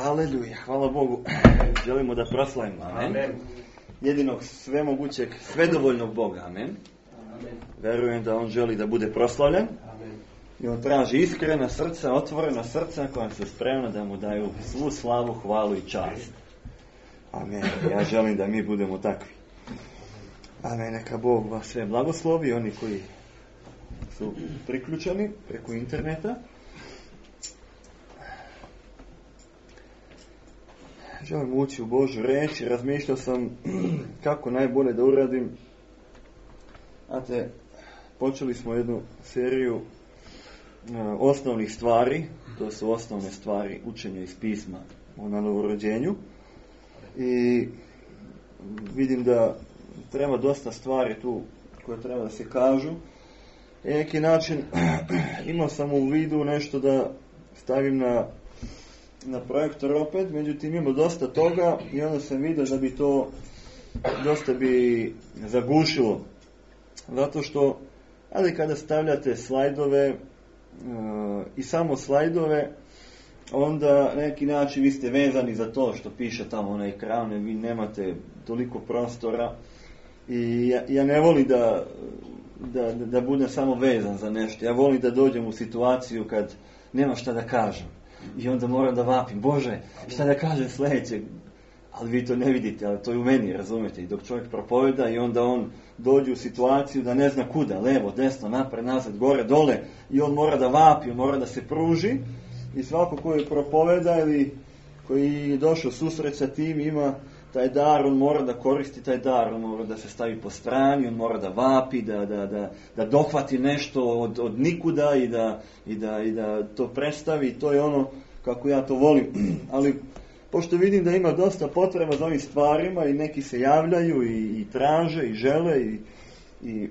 Aleluja, hvala Bogu. Želimo da proslavimo, amen. Jedinog svemogućeg, svedovoljnog Boga, amen. Verujem da On želi da bude proslavljen. I On traži iskrena srca, otvorena srca koja su spremna da Mu daju svu slavu, hvalu i čast. Amen. Ja želim da mi budemo takvi. Amen. Neka Bog vas sve blagoslovi, oni koji su priključeni preko interneta. Želim ući u Božju reč i razmišljao sam kako najbolje da uradim. Znate, počeli smo jednu seriju osnovnih stvari, to su osnovne stvari učenja iz pisma o novorođenju. I vidim da treba dosta stvari tu koje treba da se kažu. I na neki način imao sam u vidu nešto da stavim na projektor opet, međutim imamo dosta toga i onda sam vidio da bi to dosta bi zagušilo. Zato što, ali kada stavljate slajdove i samo slajdove, onda na neki način vi ste vezani za to što piše tamo na ekranu, vi nemate toliko prostora i ja ne volim da budem samo vezan za nešto. Ja volim da dođem u situaciju kad nema šta da kažem. I onda moram da vapim, Bože, šta da kažem sljedećeg? Ali vi to ne vidite, ali to je u meni, razumete? I dok čovjek propoveda i onda on dođe u situaciju da ne zna kuda, levo, desno, napred, nazad, gore, dole, i on mora da vapi, on mora da se pruži. I svako koji propoveda ili koji je došao susret sa tim ima taj dar, on mora da koristi taj dar, on mora da se stavi po strani, on mora da vapi, da dohvati nešto od nikuda i da to predstavi. To je ono kako ja to volim. Ali pošto vidim da ima dosta potreba za ovim stvarima i neki se javljaju i traže i žele i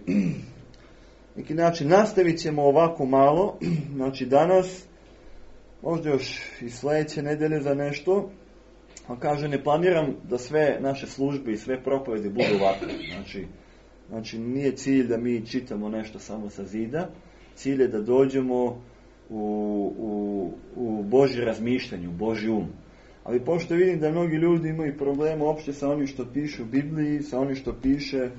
neki način nastavit ćemo ovako malo, znači danas, možda još i sljedeće nedelje za nešto, On kaže, ne planiram da sve naše službe i sve propovedi budu ovakve. Znači, nije cilj da mi čitamo nešto samo sa zida. Cilj je da dođemo u Božje razmišljanje, u Božji um. Ali pošto vidim da mnogi ljudi imaju problema uopšte sa onim što piše u Bibliji, sa onim što piše,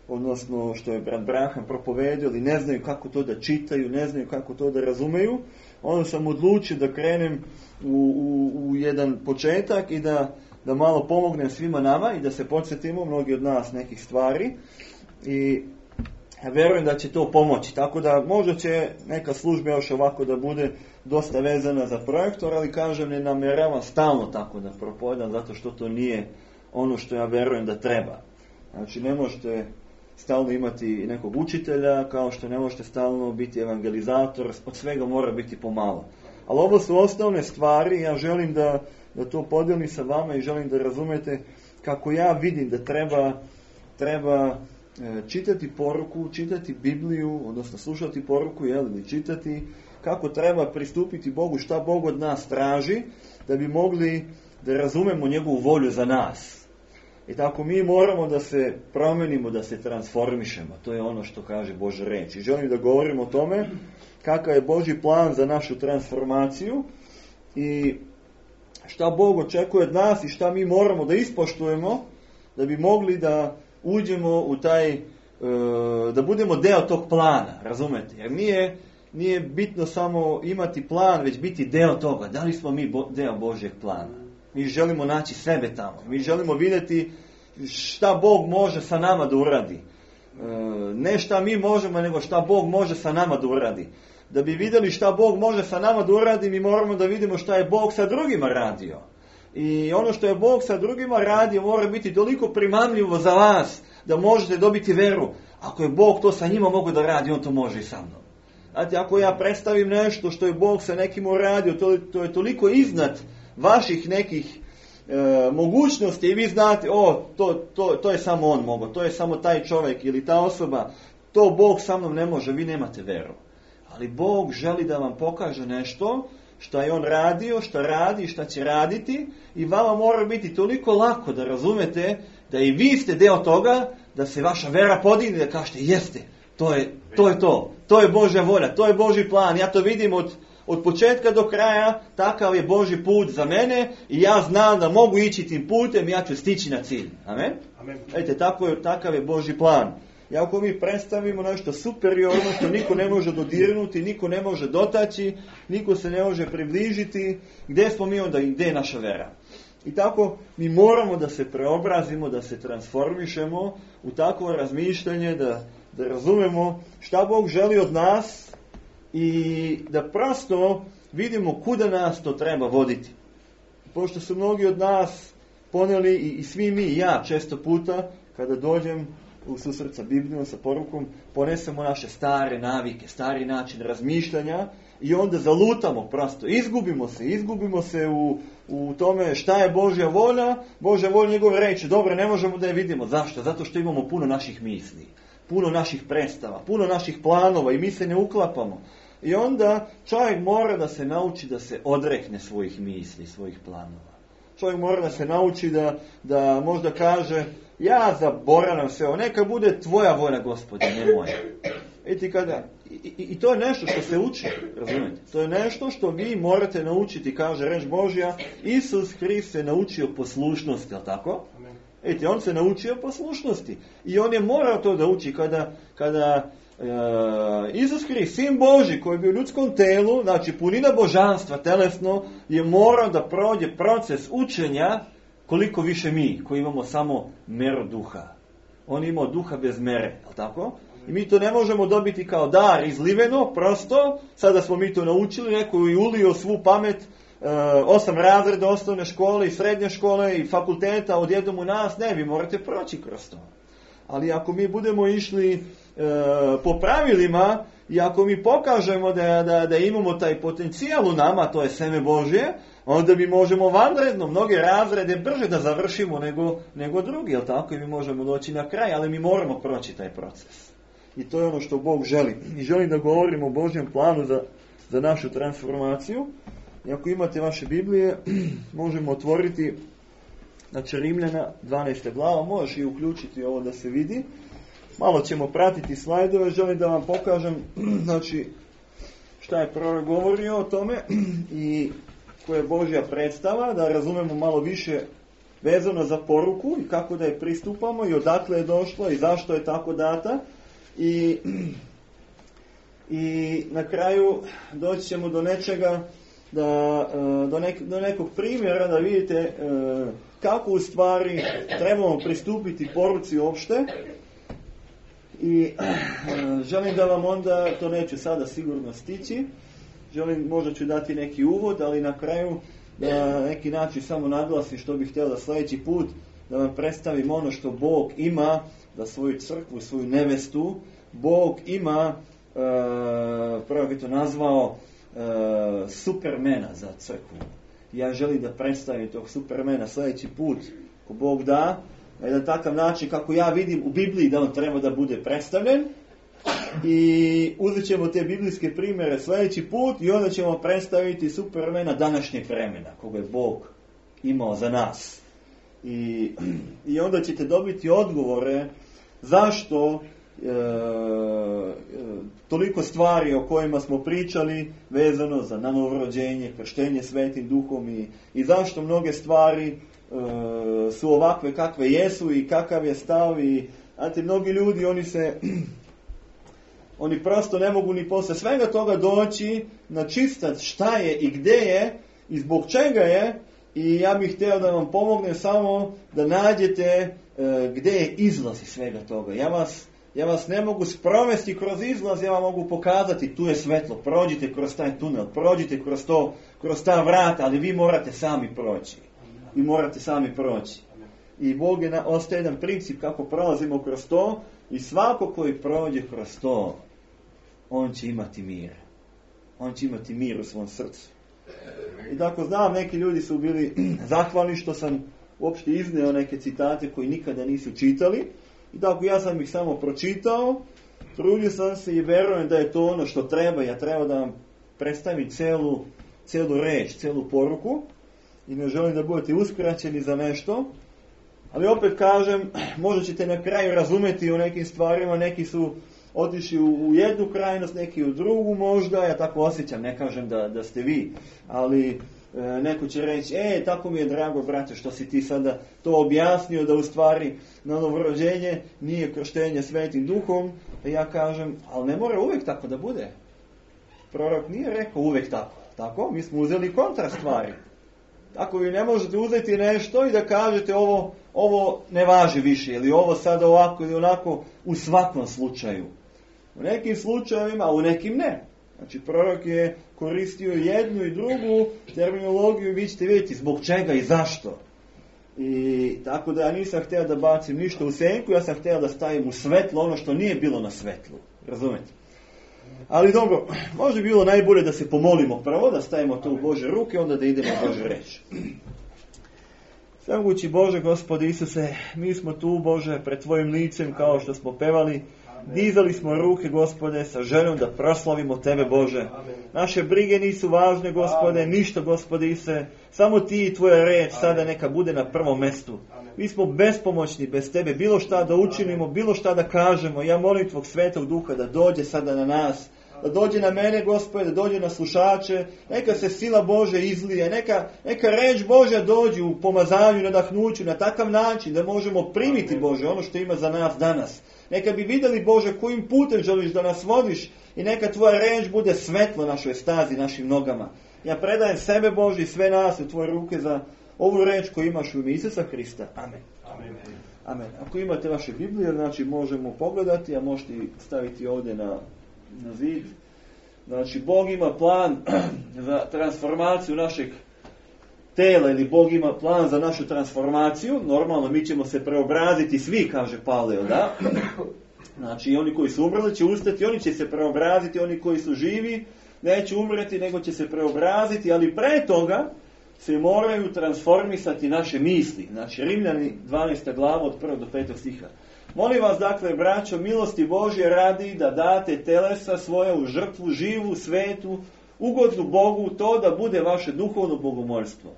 odnosno što je brat Branham propovedio, ali ne znaju kako to da čitaju, ne znaju kako to da razumeju, onda sam odlučio da krenem u jedan početak i da malo pomognem svima nama i da se podsjetimo, mnogi od nas, nekih stvari. I ja verujem da će to pomoći. Tako da možda će neka služba još ovako da bude dosta vezana za projektor, ali kažem, ne namjeravam stalno tako da propovedam, zato što to nije ono što ja verujem da treba. Znači, ne možete stalno imati nekog učitelja, kao što ne možete stalno biti evangelizator, od svega mora biti pomalo. Ali ovo su osnovne stvari, ja želim da to podijelim sa vama i želim da razumete kako ja vidim da treba čitati poruku, čitati Bibliju, odnosno slušati poruku, ili čitati, kako treba pristupiti Bogu, šta Bog od nas traži, da bi mogli da razumemo njegovu volju za nas. I tako mi moramo da se promenimo, da se transformišemo. To je ono što kaže Božja reč. I želim da govorim o tome kakav je Božji plan za našu transformaciju i šta Bog očekuje od nas i šta mi moramo da ispoštujemo da bi mogli da uđemo u taj, da budemo deo tog plana, razumete? Jer nije bitno samo imati plan, već biti deo toga. Da li smo mi deo Božjeg plana? Mi želimo naći sebe tamo. Mi želimo vidjeti šta Bog može sa nama da uradi. Ne šta mi možemo, nego šta Bog može sa nama da uradi. Da bi vidjeli šta Bog može sa nama da uradi, mi moramo da vidimo šta je Bog sa drugima radio. I ono što je Bog sa drugima radio mora biti toliko primamljivo za vas da možete dobiti veru. Ako je Bog to sa njima mogu da radi, on to može i sa mnom. Znate, ako ja predstavim nešto što je Bog sa nekim uradio, to je toliko iznad vaših nekih mogućnosti i vi znate, to je samo on mogao, to je samo taj čovjek ili ta osoba, to Bog sa mnom ne može, vi nemate veru. Ali Bog želi da vam pokaže nešto što je on radio, što radi i što će raditi i vama mora biti toliko lako da razumete da i vi ste deo toga, da se vaša vera podigne, da kažete jeste, to je to je Božja volja, to je Božji plan, ja to vidim od početka do kraja, takav je Božji put za mene i ja znam da mogu ići tim putem i ja ću stići na cilj. Amen? Amen. Vidite, takav je Božji plan. I ako mi predstavimo nešto superiorno što niko ne može dodirnuti, niko ne može dotaći, niko se ne može približiti, gdje smo mi onda i gdje je naša vera? I tako mi moramo da se preobrazimo, da se transformišemo u takvo razmišljanje, da razumemo šta Bog želi od nas i da prosto vidimo kuda nas to treba voditi. Pošto su mnogi od nas poneli i svi mi i ja često puta kada dođem u susret sa Biblijom, sa porukom, ponesemo naše stare navike, stari način razmišljanja i onda zalutamo prosto. Izgubimo se u tome šta je Božja volja. Božja volja njegove reči, dobro, ne možemo da je vidimo. Zašto? Zato što imamo puno naših misli, puno naših predstava, puno naših planova i mi se ne uklapamo. I onda čovjek mora da se nauči da se odrekne svojih misli, svojih planova. Čovjek mora da se nauči da možda kaže, ja zaboravljam sve ovo, neka bude tvoja volja, Gospode, ne moja. I to je nešto što se uči, razumijete? To je nešto što vi morate naučiti, kaže reč Božja, Isus Hrist se naučio poslušnosti, je li tako? On se naučio poslušnosti. I on je morao to da uči kada Isus Hrist, sin Božji, koji je bio u ljudskom telu, znači punina božanstva, telesno, je morao da prođe proces učenja koliko više mi, koji imamo samo meru duha. On je imao duha bez mere, je li tako? I mi to ne možemo dobiti kao dar izliveno, prosto, sada smo mi to naučili, neko je ulio svu pamet, 8 razreda osnovne škole i srednje škole i fakulteta odjednom u nas, ne, vi morate proći kroz to. Ali ako mi budemo išli po pravilima i ako mi pokažemo da imamo taj potencijal u nama, to je seme Božje, onda mi možemo vanredno mnoge razrede brže da završimo nego drugi, jel tako? I mi možemo doći na kraj, ali mi moramo proći taj proces. I to je ono što Bog želi. I želim da govorimo o Božjem planu za našu transformaciju. I ako imate vaše Biblije, možemo otvoriti Znači Rimljana 12. glava, možeš i uključiti ovo da se vidi. Malo ćemo pratiti slajdove, želim da vam pokažem znači, šta je prorok govorio o tome i koja je Božja predstava, da razumemo malo više vezano za poruku i kako da je pristupamo i odakle je došlo i zašto je tako data. I na kraju doći ćemo do nečega, do nekog primjera da vidite kako u stvari trebamo pristupiti poruci uopšte. I želim da vam onda, to neću sada sigurno stići, možda ću dati neki uvod, ali na kraju da neki način samo naglasim što bih htio da sljedeći put da vam predstavim ono što Bog ima za svoju crkvu, svoju nevestu. Bog ima, prvo bi to nazvao, supermena za crkvu. Ja želim da predstavim tog supermena sljedeći put, ko Bog da, na takav način kako ja vidim u Bibliji da on treba da bude predstavljen. I uzet ćemo te biblijske primjere sljedeći put i onda ćemo predstaviti supermena današnjeg vremena, koga je Bog imao za nas. I onda ćete dobiti odgovore zašto toliko stvari o kojima smo pričali vezano za novorođenje, krštenje Svetim Duhom i zašto mnoge stvari su ovakve kakve jesu i kakav je stav. I znate, mnogi ljudi oni prosto ne mogu ni posle svega toga doći na čistac šta je i gdje je i zbog čega je. I ja bih htio da vam pomognem samo da nađete gdje je izlaz iz svega toga. Ja vas ne mogu sprovesti kroz izlaz, ja vam mogu pokazati tu je svetlo, prođite kroz taj tunel, prođite kroz ta vrata, ali vi morate sami proći. Vi morate sami proći. I Bog je ostaje jedan princip kako prolazimo kroz to i svako koji prođe kroz to, on će imati mir. On će imati mir u svom srcu. I tako znam, neki ljudi su bili zahvalni što sam uopšte izneo neke citate koji nikada nisu čitali. I tako ja sam ih samo pročitao, trudio sam se i verujem da je to ono što treba. Ja treba da vam predstavim celu reč, celu poruku. I ne želim da budete uskraćeni za nešto. Ali opet kažem, možda ćete na kraju razumjeti o nekim stvarima, neki su otišli u jednu krajnost, neki u drugu možda, ja tako osjećam, ne kažem da ste vi, ali neko će reći, tako mi je drago brate što si ti sada to objasnio da u stvari na novorođenje nije krštenje Svetim Duhom. Ja kažem, ali ne mora uvijek tako da bude. Prorok nije rekao uvijek tako. Tako? Mi smo uzeli kontra stvari. Tako vi ne možete uzeti nešto i da kažete ovo ne važi više, ili ovo sada ovako ili onako u svakom slučaju. U nekim slučajevima, a u nekim ne. Znači prorok je koristio jednu i drugu terminologiju i vi ćete vidjeti zbog čega i zašto. I tako da ja nisam htio da bacim ništa u senku, ja sam htio da stavim u svetlo ono što nije bilo na svetlu. Razumete? Ali dobro, može bilo najbolje da se pomolimo prvo, da stavimo to u Bože ruke, onda da idemo u Bože reč. Svemogući Bože, Gospode Isuse, mi smo tu, Bože, pred Tvojim licem, kao što smo pevali. Dizali smo ruke, Gospode, sa željom da proslavimo Tebe, Bože. Naše brige nisu važne, Gospode, ništa, Gospode Isuse. Samo Ti i Tvoja reč sada neka bude na prvom mjestu. Mi smo bespomoćni bez Tebe, bilo šta da učinimo, bilo šta da kažemo. Ja molim Tvog Svetog Duha da dođe sada na nas, da dođe na mene, Gospode, da dođe na slušače. Neka se sila Bože izlije, neka reč Božja dođe u pomazanju, nadahnuću, na takav način da možemo primiti, Bože, ono što ima za nas danas. Neka bi vidjeli, Bože, kojim putem želiš da nas vodiš i neka Tvoja reč bude svetlo našoj stazi, našim nogama. Ja predajem sebe, Bože, i sve nas u Tvoje ruke za ovu reč koju imaš u ime Isusa Hrista. Amen. Amen. Amen. Ako imate vaše Biblije, znači možemo pogledati, a možete staviti ovdje na zid. Znači, Bog ima plan za transformaciju našeg tela, ili Bog ima plan za našu transformaciju. Normalno, mi ćemo se preobraziti svi, kaže Pavle, da? Znači, oni koji su umrli će ustati, oni će se preobraziti, oni koji su živi neće umreti, nego će se preobraziti, ali pre toga se moraju transformisati naše misli. Znači, Rimljani 12. glava od 1. do 5. stiha. Molim vas, dakle, braćo, milosti Božje radi da date telesa svoje u žrtvu, živu, svetu, ugodnu Bogu, to da bude vaše duhovno bogomoljstvo.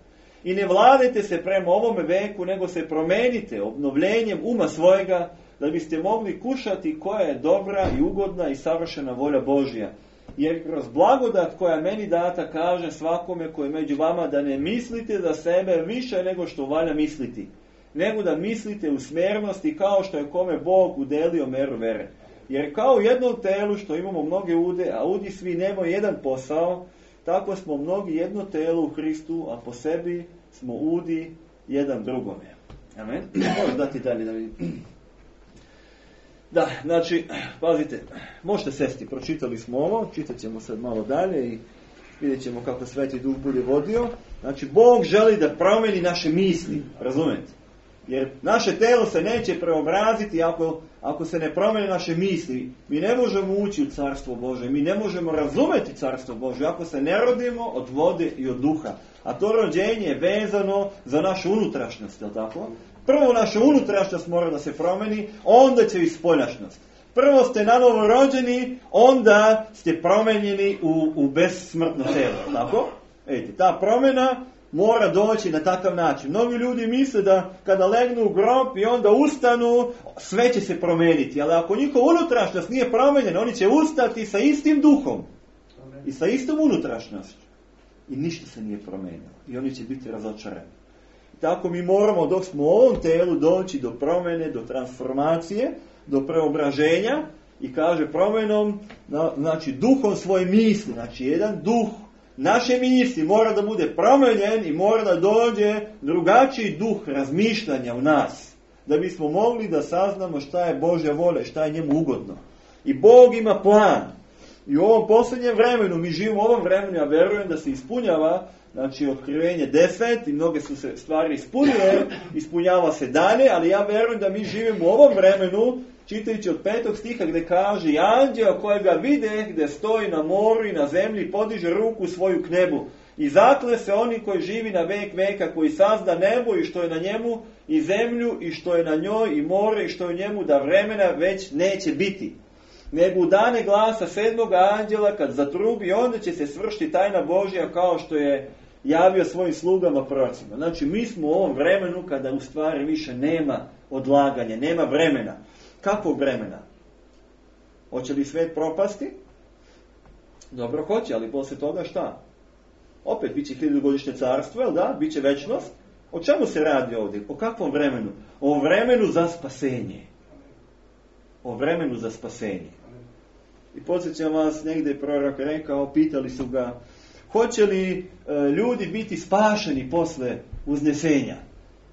I ne vladajte se prema ovome veku, nego se promenite obnovljenjem uma svojega, da biste mogli kušati koja je dobra i ugodna i savršena volja Božja. Jer kroz blagodat koja meni data kaže svakome koji je među vama da ne mislite za sebe više nego što valja misliti, nego da mislite u smjernosti kao što je kome Bog udelio meru vere. Jer kao u jednom telu što imamo mnoge ude, a udi svi nemaju jedan posao, tako smo mnogi jedno telo u Hristu, a po sebi smo udi jedan drugome. Amen. Možeš dati dalje da vidim. Da, znači, pazite, možete sesti, pročitali smo ovo, čitat ćemo sad malo dalje i vidjet ćemo kako Sveti Duh bude vodio. Znači, Bog želi da promeni naše misli, razumijete? Jer naše telo se neće preobraziti ako se ne promene naše misli. Mi ne možemo ući u Carstvo Božje, mi ne možemo razumjeti Carstvo Božje ako se ne rodimo od vode i od duha. A to rođenje je vezano za našu unutrašnjost, je li tako? Prvo naša unutrašnjost mora da se promeni, onda će i spoljašnjost. Prvo ste nanovo rođeni, onda ste promenjeni u besmrtno telo, tako? Vidite, ta promjena mora doći na takav način. Mnogi ljudi misle da kada legnu u grob i onda ustanu, sve će se promeniti. Ali ako njihova unutrašnjost nije promenjena, oni će ustati sa istim duhom i sa istom unutrašnjošću. I ništa se nije promenilo. I oni će biti razočarani. Tako mi moramo dok smo u ovom telu doći do promjene, do transformacije, do preobraženja i kaže promjenom, znači duhom svoje misli, znači jedan duh naše misli mora da bude promijenjen i mora da dođe drugačiji duh razmišljanja u nas, da bismo mogli da saznamo šta je Božja volja, šta je njemu ugodno. I Bog ima plan. I u ovom posljednjem vremenu, mi živimo u ovom vremenu, ja verujem da se ispunjava, znači otkrivenje 10 i mnoge su se stvari ispunile, ispunjava se dalje, ali ja verujem da mi živimo u ovom vremenu, čitajući od 5. stiha gdje kaže i anđeo kojega vide gdje stoji na moru i na zemlji podiže ruku svoju k nebu. I zakle se oni koji živi na vek veka, koji sazda nebo i što je na njemu i zemlju i što je na njoj i more i što je u njemu, da vremena već neće biti. Nego u dane glasa 7. anđela kad zatrubi, onda će se svršiti tajna Božja kao što je javio svojim slugama prorocima. Znači mi smo u ovom vremenu kada u stvari više nema odlaganja, nema vremena. Kakvog vremena? Hoće li svijet propasti? Dobro, hoće, ali poslije toga šta? Opet bit će 1000-godišnje carstvo, jel da? Biće večnost. O čemu se radi ovdje? O kakvom vremenu? O vremenu za spasenje. O vremenu za spasenje. I podsjećam vas, negdje je prorok rekao, pitali su ga, hoće li ljudi biti spašeni posle uznesenja?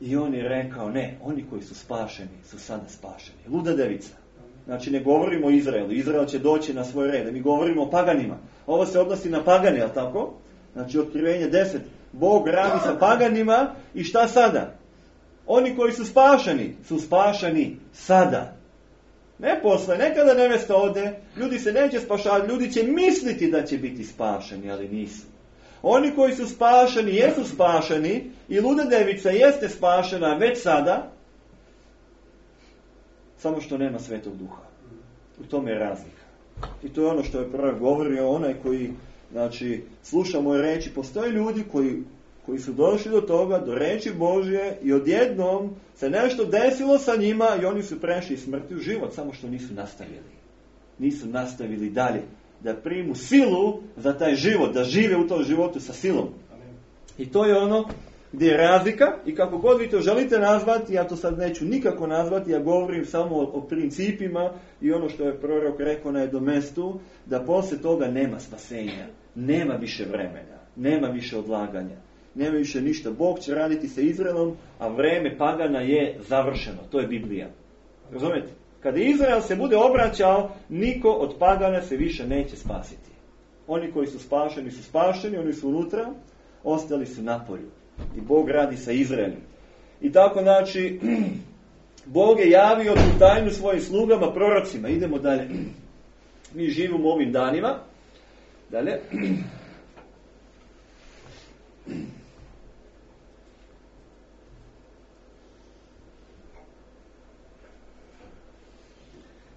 I on je rekao, ne, oni koji su spašeni su sada spašeni. Luda devica. Znači ne govorimo o Izraelu. Izrael će doći na svoj red. Mi govorimo o paganima. Ovo se odnosi na pagane, jel tako? Znači otkrivenje 10. Bog radi sa paganima i šta sada? Oni koji su spašeni sada. Ne posle, nekada nevesta ode, ljudi se neće spašavati, ljudi će misliti da će biti spašeni, ali nisu. Oni koji su spašeni, jesu spašeni i luda devica jeste spašena već sada, samo što nema Svetog Duha. U tome je razlika. I to je ono što je prorok govorio, onaj koji, znači, sluša moje reči. Postoje ljudi koji su došli do toga, do reči Božje i odjednom se nešto desilo sa njima i oni su prešli iz smrti u život, samo što nisu nastavili. Nisu nastavili dalje da primu silu za taj život, da žive u tom životu sa silom. I to je ono gdje je razlika i kako god vi to želite nazvati, ja to sad neću nikako nazvati, ja govorim samo o principima i ono što je prorok rekao na jednom mestu, da poslije toga nema spasenja, nema više vremena, nema više odlaganja, nema više ništa. Bog će raditi sa Izraelom, a vreme pagana je završeno. To je Biblija. Razumijete? Kada Izrael se bude obraćao, niko od pagana se više neće spasiti. Oni koji su spašeni, oni su unutra, ostali su napolju. I Bog radi sa Izraelom. I tako, znači, Bog je javio tu tajnu svojim slugama, prorocima. Idemo dalje. Mi živimo ovim danima. Dalje.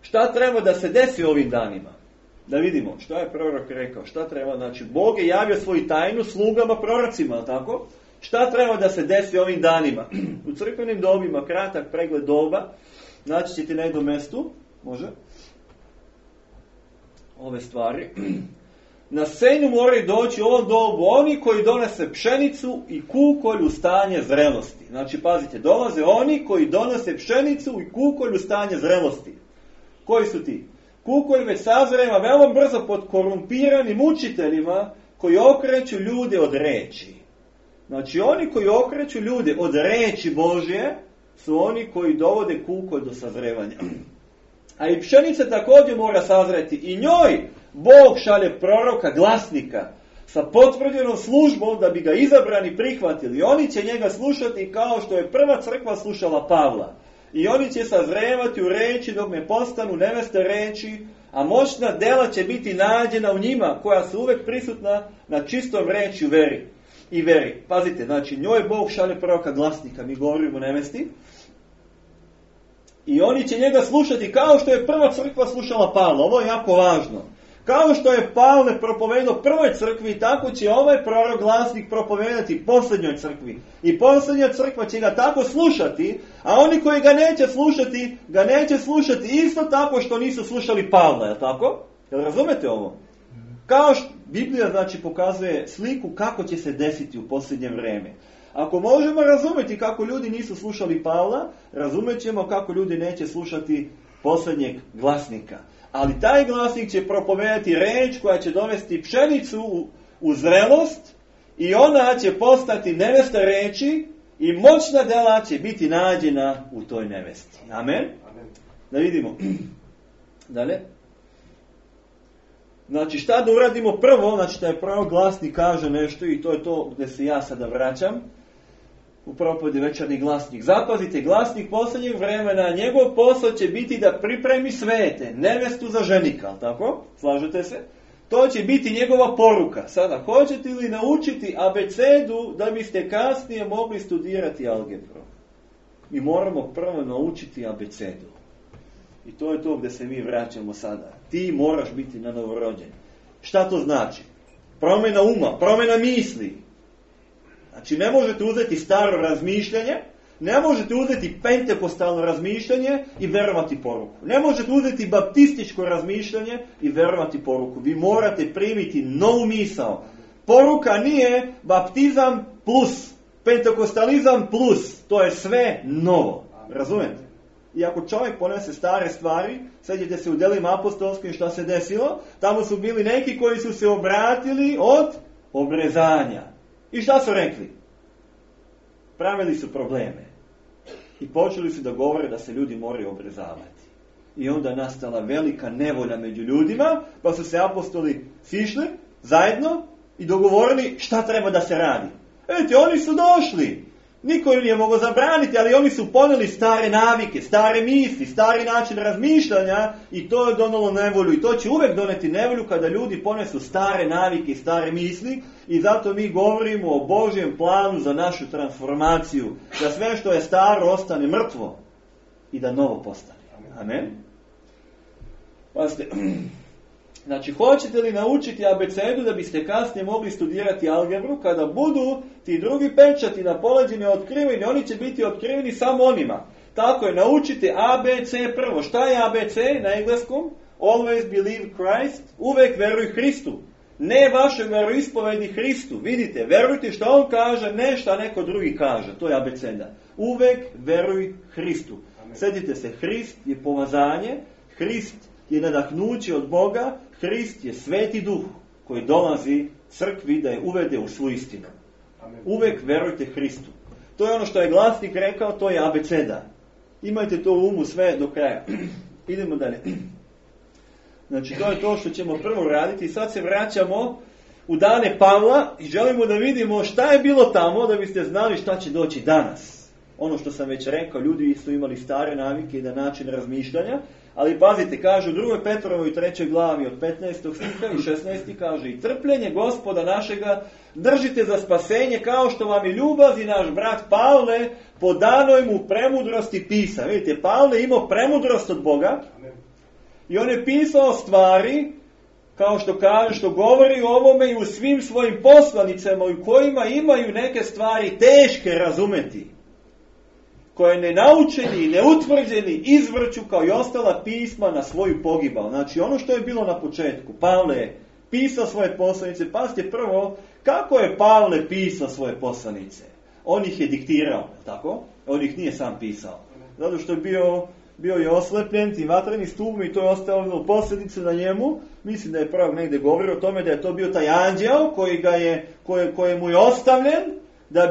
Šta treba da se desi ovim danima? Da vidimo šta je prorok rekao, šta treba, znači Bog je javio svoju tajnu slugama prorocima, tako? Šta treba da se desi ovim danima? U crkvenim dobima, kratak pregled doba, naći ćete na jednom mestu, može, ove stvari. Na scenu moraju doći u ovom dobu oni koji donose pšenicu i kukolj u stanje zrelosti. Znači, pazite, dolaze oni koji donose pšenicu i kukolj u stanje zrelosti. Koji su ti? Kukolj već sazreva veoma brzo pod korumpiranim učiteljima koji okreću ljude od reči. Znači, oni koji okreću ljude od reči Božje su oni koji dovode kukolj do sazrevanja. A i pšenica također mora sazreti. I njoj Bog šalje proroka, glasnika, sa potvrđenom službom da bi ga izabrani prihvatili. Oni će njega slušati kao što je prva crkva slušala Pavla. I oni će sazrevati u reči dok ne postanu neveste reči, a moćna dela će biti nađena u njima, koja su uvek prisutna na čistom reči u veri. Pazite, znači njoj Bog šalje proroka, glasnika, mi govorimo o nevesti. I oni će njega slušati kao što je prva crkva slušala Pavla. Ovo je jako važno. Kao što je Pavle propovedao prvoj crkvi, tako će ovaj prorok, glasnik propovedati posljednjoj crkvi. I posljednja crkva će ga tako slušati, a oni koji ga neće slušati isto tako što nisu slušali Pavla, je tako? Jel razumete ovo? Kao što Biblija znači pokazuje sliku kako će se desiti u posljednje vrijeme. Ako možemo razumjeti kako ljudi nisu slušali Pavla, razumjet ćemo kako ljudi neće slušati posljednjeg glasnika. Ali taj glasnik će propovedati reč koja će dovesti pšenicu u zrelost i ona će postati nevesta reči i moćna dela će biti nađena u toj nevesti. Amen? Da vidimo. Dalje. Znači šta da uradimo prvo? Znači da je prvo glasnik kaže nešto i to je to gdje se ja sada vraćam. U propovedi večernji glasnik. Zapazite, glasnik posljednjeg vremena, njegov posao će biti da pripremi svete, nevestu za ženika, ali tako? Slažete se? To će biti njegova poruka. Sada, hoćete li naučiti abecedu da biste kasnije mogli studirati algebru? Mi moramo prvo naučiti abecedu. I to je to gdje se mi vraćamo sada. Ti moraš biti na novorođen. Šta to znači? Promjena uma, promjena misli. Znači, ne možete uzeti staro razmišljanje, ne možete uzeti pentekostalno razmišljanje i verovati poruku. Ne možete uzeti baptističko razmišljanje i verovati poruku. Vi morate primiti novu misao. Poruka nije baptizam plus, pentekostalizam plus. To je sve novo. Razumete? I ako čovjek ponese stare stvari, sjećate se u Delima apostolskim šta se desilo, tamo su bili neki koji su se obratili od obrezanja. I šta su rekli? Pravili su probleme. I počeli su da govore da se ljudi moraju obrezavati. I onda nastala velika nevolja među ljudima, pa su se apostoli sišli zajedno i dogovorili šta treba da se radi. Vidite, oni su došli. Niko im nije mogao zabraniti, ali oni su poneli stare navike, stare misli, stari način razmišljanja i to je donalo nevolju. I to će uvek doneti nevolju kada ljudi ponesu stare navike i stare misli i zato mi govorimo o Božjem planu za našu transformaciju. Da sve što je staro ostane mrtvo i da novo postane. Amen? Pazite, znači, hoćete li naučiti abecedu da biste kasnije mogli studirati algebru, kada budu ti drugi pečati na poleđini otkriveni, oni će biti otkriveni samo onima. Tako je, naučite ABC prvo. Šta je ABC na engleskom? Always believe Christ. Uvek veruj Hristu. Ne vaše veroispovedi Hristu. Vidite, verujte što on kaže, ne šta neko drugi kaže. To je abeceda. Uvek veruj Hristu. Sjetite se, Hrist je pomazanje, Hrist je nadahnuće od Boga, Hrist je Sveti Duh koji dolazi crkvi da je uvede u svu istinu. Amen. Uvek verujte Hristu. To je ono što je glasnik rekao, to je abeceda. Imajte to u umu sve do kraja. Idemo dalje. Znači, to je to što ćemo prvo raditi i sad se vraćamo u dane Pavla i želimo da vidimo šta je bilo tamo da biste znali šta će doći danas. Ono što sam već rekao, ljudi su imali stare navike i da način razmišljanja, ali pazite, kaže u 2. Petrovoj 3. glavi od 15. stiha i 16. kaže i trpljenje Gospoda našega držite za spasenje kao što vam je ljubav i naš brat Pavle po danoj mu premudrosti pisa. Vidite, Pavle imao premudrost od Boga i on je pisao stvari kao što kaže, što govori o ovome i u svim svojim poslanicama u kojima imaju neke stvari teške razumeti, koje nenaučeni i neutvrđeni izvrću kao i ostala pisma na svoju pogibao. Znači ono što je bilo na početku, Pavle je pisao svoje poslanice. Pazite prvo, kako je Pavle pisao svoje poslanice? On ih je diktirao, tako? On ih nije sam pisao. Zato što je bio je oslepljen tim vatrenim stubom i to je ostavljeno posljedice na njemu. Mislim da je prvog negdje govorio o tome da je to bio taj anđeo koji mu je ostavljen da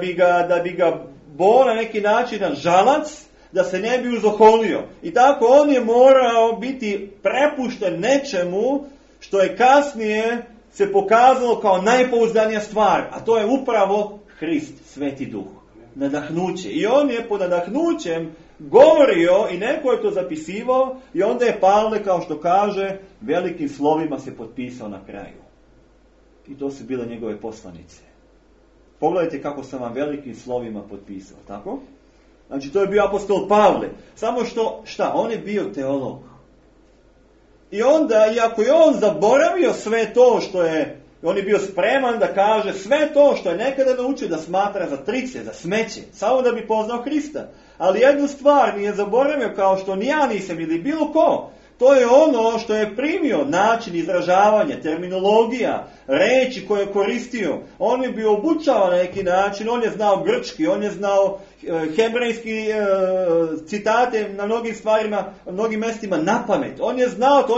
bi ga bo na neki način na žalac, da se ne bi uzoholio. I tako on je morao biti prepušten nečemu što je kasnije se pokazalo kao najpouzdanija stvar, a to je upravo Hrist, Sveti Duh, nadahnuće. I on je pod nadahnućem govorio i neko je to zapisivao i onda je Pavle, kao što kaže, velikim slovima se potpisao na kraju. I to su bile njegove poslanice. Pogledajte kako sam vam velikim slovima potpisao, tako? Znači to je bio apostol Pavle. Samo što, on je bio teolog. I onda, iako je on zaboravio sve to što je, on je bio spreman da kaže sve to što je nekada naučio da smatra za trice, za smeće, samo da bi poznao Hrista. Ali jednu stvar nije zaboravio, kao što ni ja nisam ili bilo ko. To je ono što je primio, način izražavanja, terminologija, reči koje je koristio. On je bio obučavan na neki način, on je znao grčki, on je znao hebrejski citate na mnogim stvarima, na mnogim mjestima na pamet. On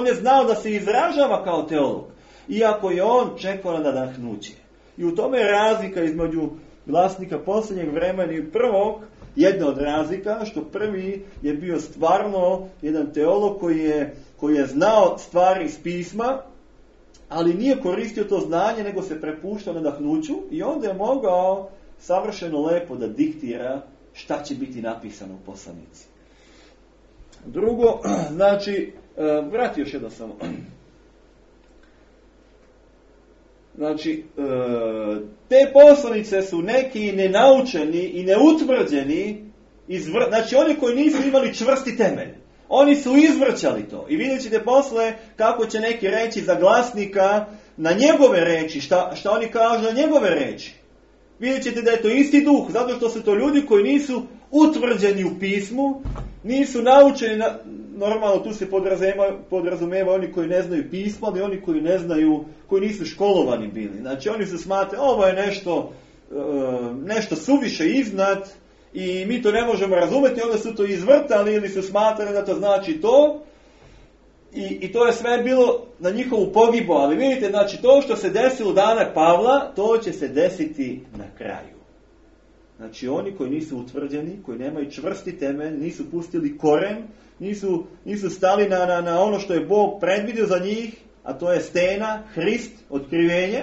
je znao da se izražava kao teolog. Iako je on čekao na nadahnuće. I u tome je razlika između glasnika posljednjeg vremena i prvog. Jedna od razlika, što prvi je bio stvarno jedan teolog koji je znao stvari iz pisma, ali nije koristio to znanje, nego se prepuštao nadahnuću i onda je mogao savršeno lepo da diktira šta će biti napisano u poslanici. Drugo, znači, vrati još jedno samo. Znači, te poslanice su neki nenaučeni i neutvrđeni, znači oni koji nisu imali čvrsti temelj. Oni su izvrćali to. I vidjet ćete posle kako će neki reći za glasnika na njegove reči, šta oni kažu na njegove reči. Vidjet ćete da je to isti duh, zato što su to ljudi koji nisu utvrđeni u pismu, nisu naučeni, normalno tu se podrazumeva oni koji ne znaju pismo, ali oni koji ne znaju, koji nisu školovani bili. Znači oni su smatrali, ovo je nešto suviše iznad i mi to ne možemo razumjeti, onda su to izvrtali ili su smatrali da to znači to. I to je sve bilo na njihovu pogibu, ali vidite, znači to što se desilo dana Pavla, to će se desiti na kraju. Znači oni koji nisu utvrđeni, koji nemaju čvrsti temelj, nisu pustili koren, nisu stali na ono što je Bog predvidio za njih, a to je stena, Hrist, otkrivenje.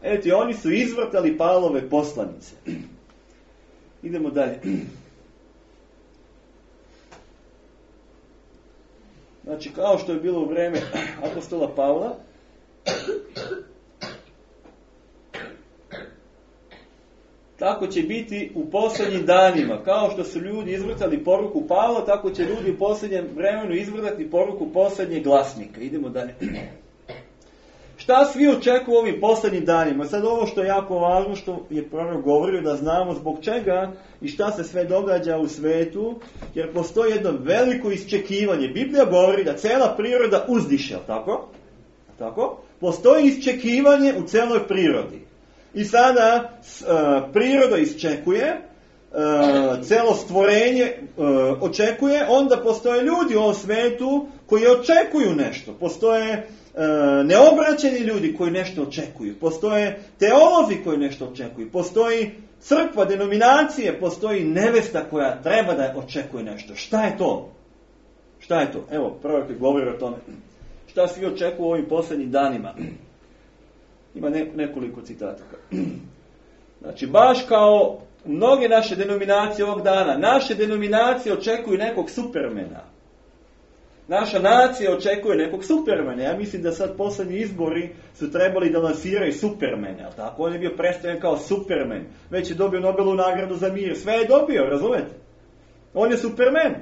Eto, oni su izvrtali Pavlove poslanice. Idemo dalje. Znači, kao što je bilo u vreme apostola Pavla, tako će biti u posljednjim danima. Kao što su ljudi izvrtali poruku Pavla, tako će ljudi u posljednjem vremenu izvrtati poruku posljednjeg glasnika. Idemo dalje. Šta svi očekuju u ovim posljednjim danima? Sad ovo što je jako važno, što je prorok govorio, da znamo zbog čega i šta se sve događa u svetu, jer postoji jedno veliko iščekivanje. Biblija govori da cela priroda uzdiše, tako? Postoji iščekivanje u celoj prirodi. I sada priroda iščekuje, celo stvorenje očekuje, onda postoje ljudi u ovom svetu koji očekuju nešto. Postoje neobraćeni ljudi koji nešto očekuju. Postoje teolozi koji nešto očekuju. Postoji crkva, denominacije, postoji nevesta koja treba da očekuje nešto. Šta je to? Evo, prorok je govorio o tome. Šta svi očekuju u ovim posljednjim danima? Ima nekoliko citata. Znači, baš kao mnoge naše denominacije ovog dana, naše denominacije očekuju nekog supermena. Naša nacija očekuje nekog supermena. Ja mislim da sad posljednji izbori su trebali da lansiraju supermene, ali tako? On je bio predstavljen kao supermen. Već je dobio Nobelovu nagradu za mir. Sve je dobio, razumete? On je supermen.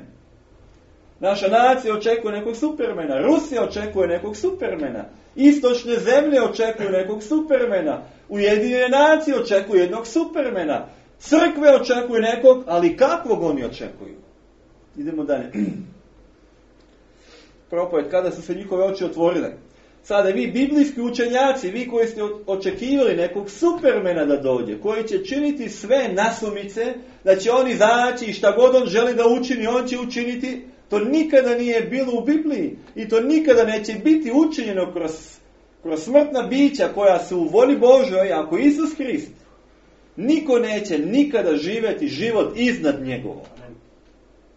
Naša nacija očekuje nekog Supermana, Rusija očekuje nekog Supermana, istočne zemlje očekuju nekog Supermana, Ujedinjene nacije očekuju jednog Supermana, crkve očekuju nekog, ali kakvog oni očekuju? Idemo dalje. Propoved, kada su se njihove oči otvorile. Sada vi biblijski učenjaci, vi koji ste očekivali nekog Supermana da dođe, koji će činiti sve nasumice, da će on izaći i šta god on želi da učini, on će učiniti, to nikada nije bilo u Bibliji i to nikada neće biti učinjeno kroz smrtna bića koja su u voli Božoj, ako Isus Hrist. Niko neće nikada živjeti život iznad njegovog.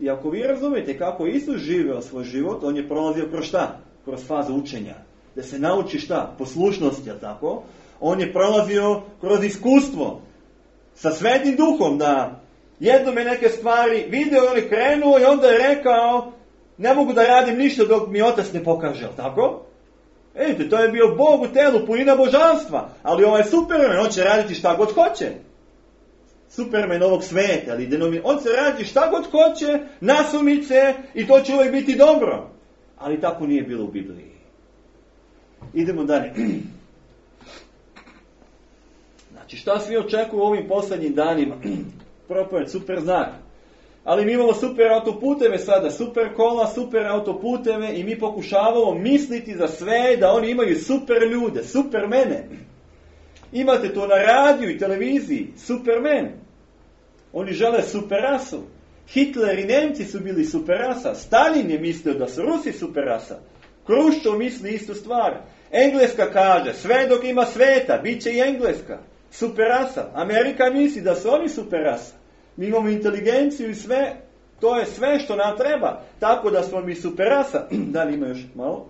I ako vi razumijete kako Isus živeo svoj život, on je prolazio kroz šta? Kroz fazu učenja. Da se nauči šta? Poslušnosti, jel tako? On je prolazio kroz iskustvo sa Svetim Duhom, da jednom je neke stvari vidio, on je krenuo i onda je rekao, ne mogu da radim ništa dok mi Otac ne pokaže, jel tako? Vidite, to je bio Bog u telu, punina božanstva, ali ovaj Superman, on će raditi šta god hoće. Superman ovog sveta, ali on se radi šta god hoće, nasumice, i to će uvijek biti dobro. Ali tako nije bilo u Bibliji. Idemo dalje. Znači, šta svi očekuju u ovim posljednjim danima? Propoved, super znak. Ali mi imamo super autoputeve sada, super kola, super autoputeve i mi pokušavamo misliti za sve da oni imaju super ljude, supermene. Imate to na radiju i televiziji, supermen. Oni žele superrasu. Hitler i Nemci su bili superrasa. Stalin je mislio da su Rusi superrasa. Kruščov misli istu stvar. Engleska kaže, sve dok ima sveta, bit će i Engleska. Superrasa. Amerika misli da su oni superrasa. Mi imamo inteligenciju i sve, to je sve što nam treba. Tako da smo mi superrasa. Da li ima još malo?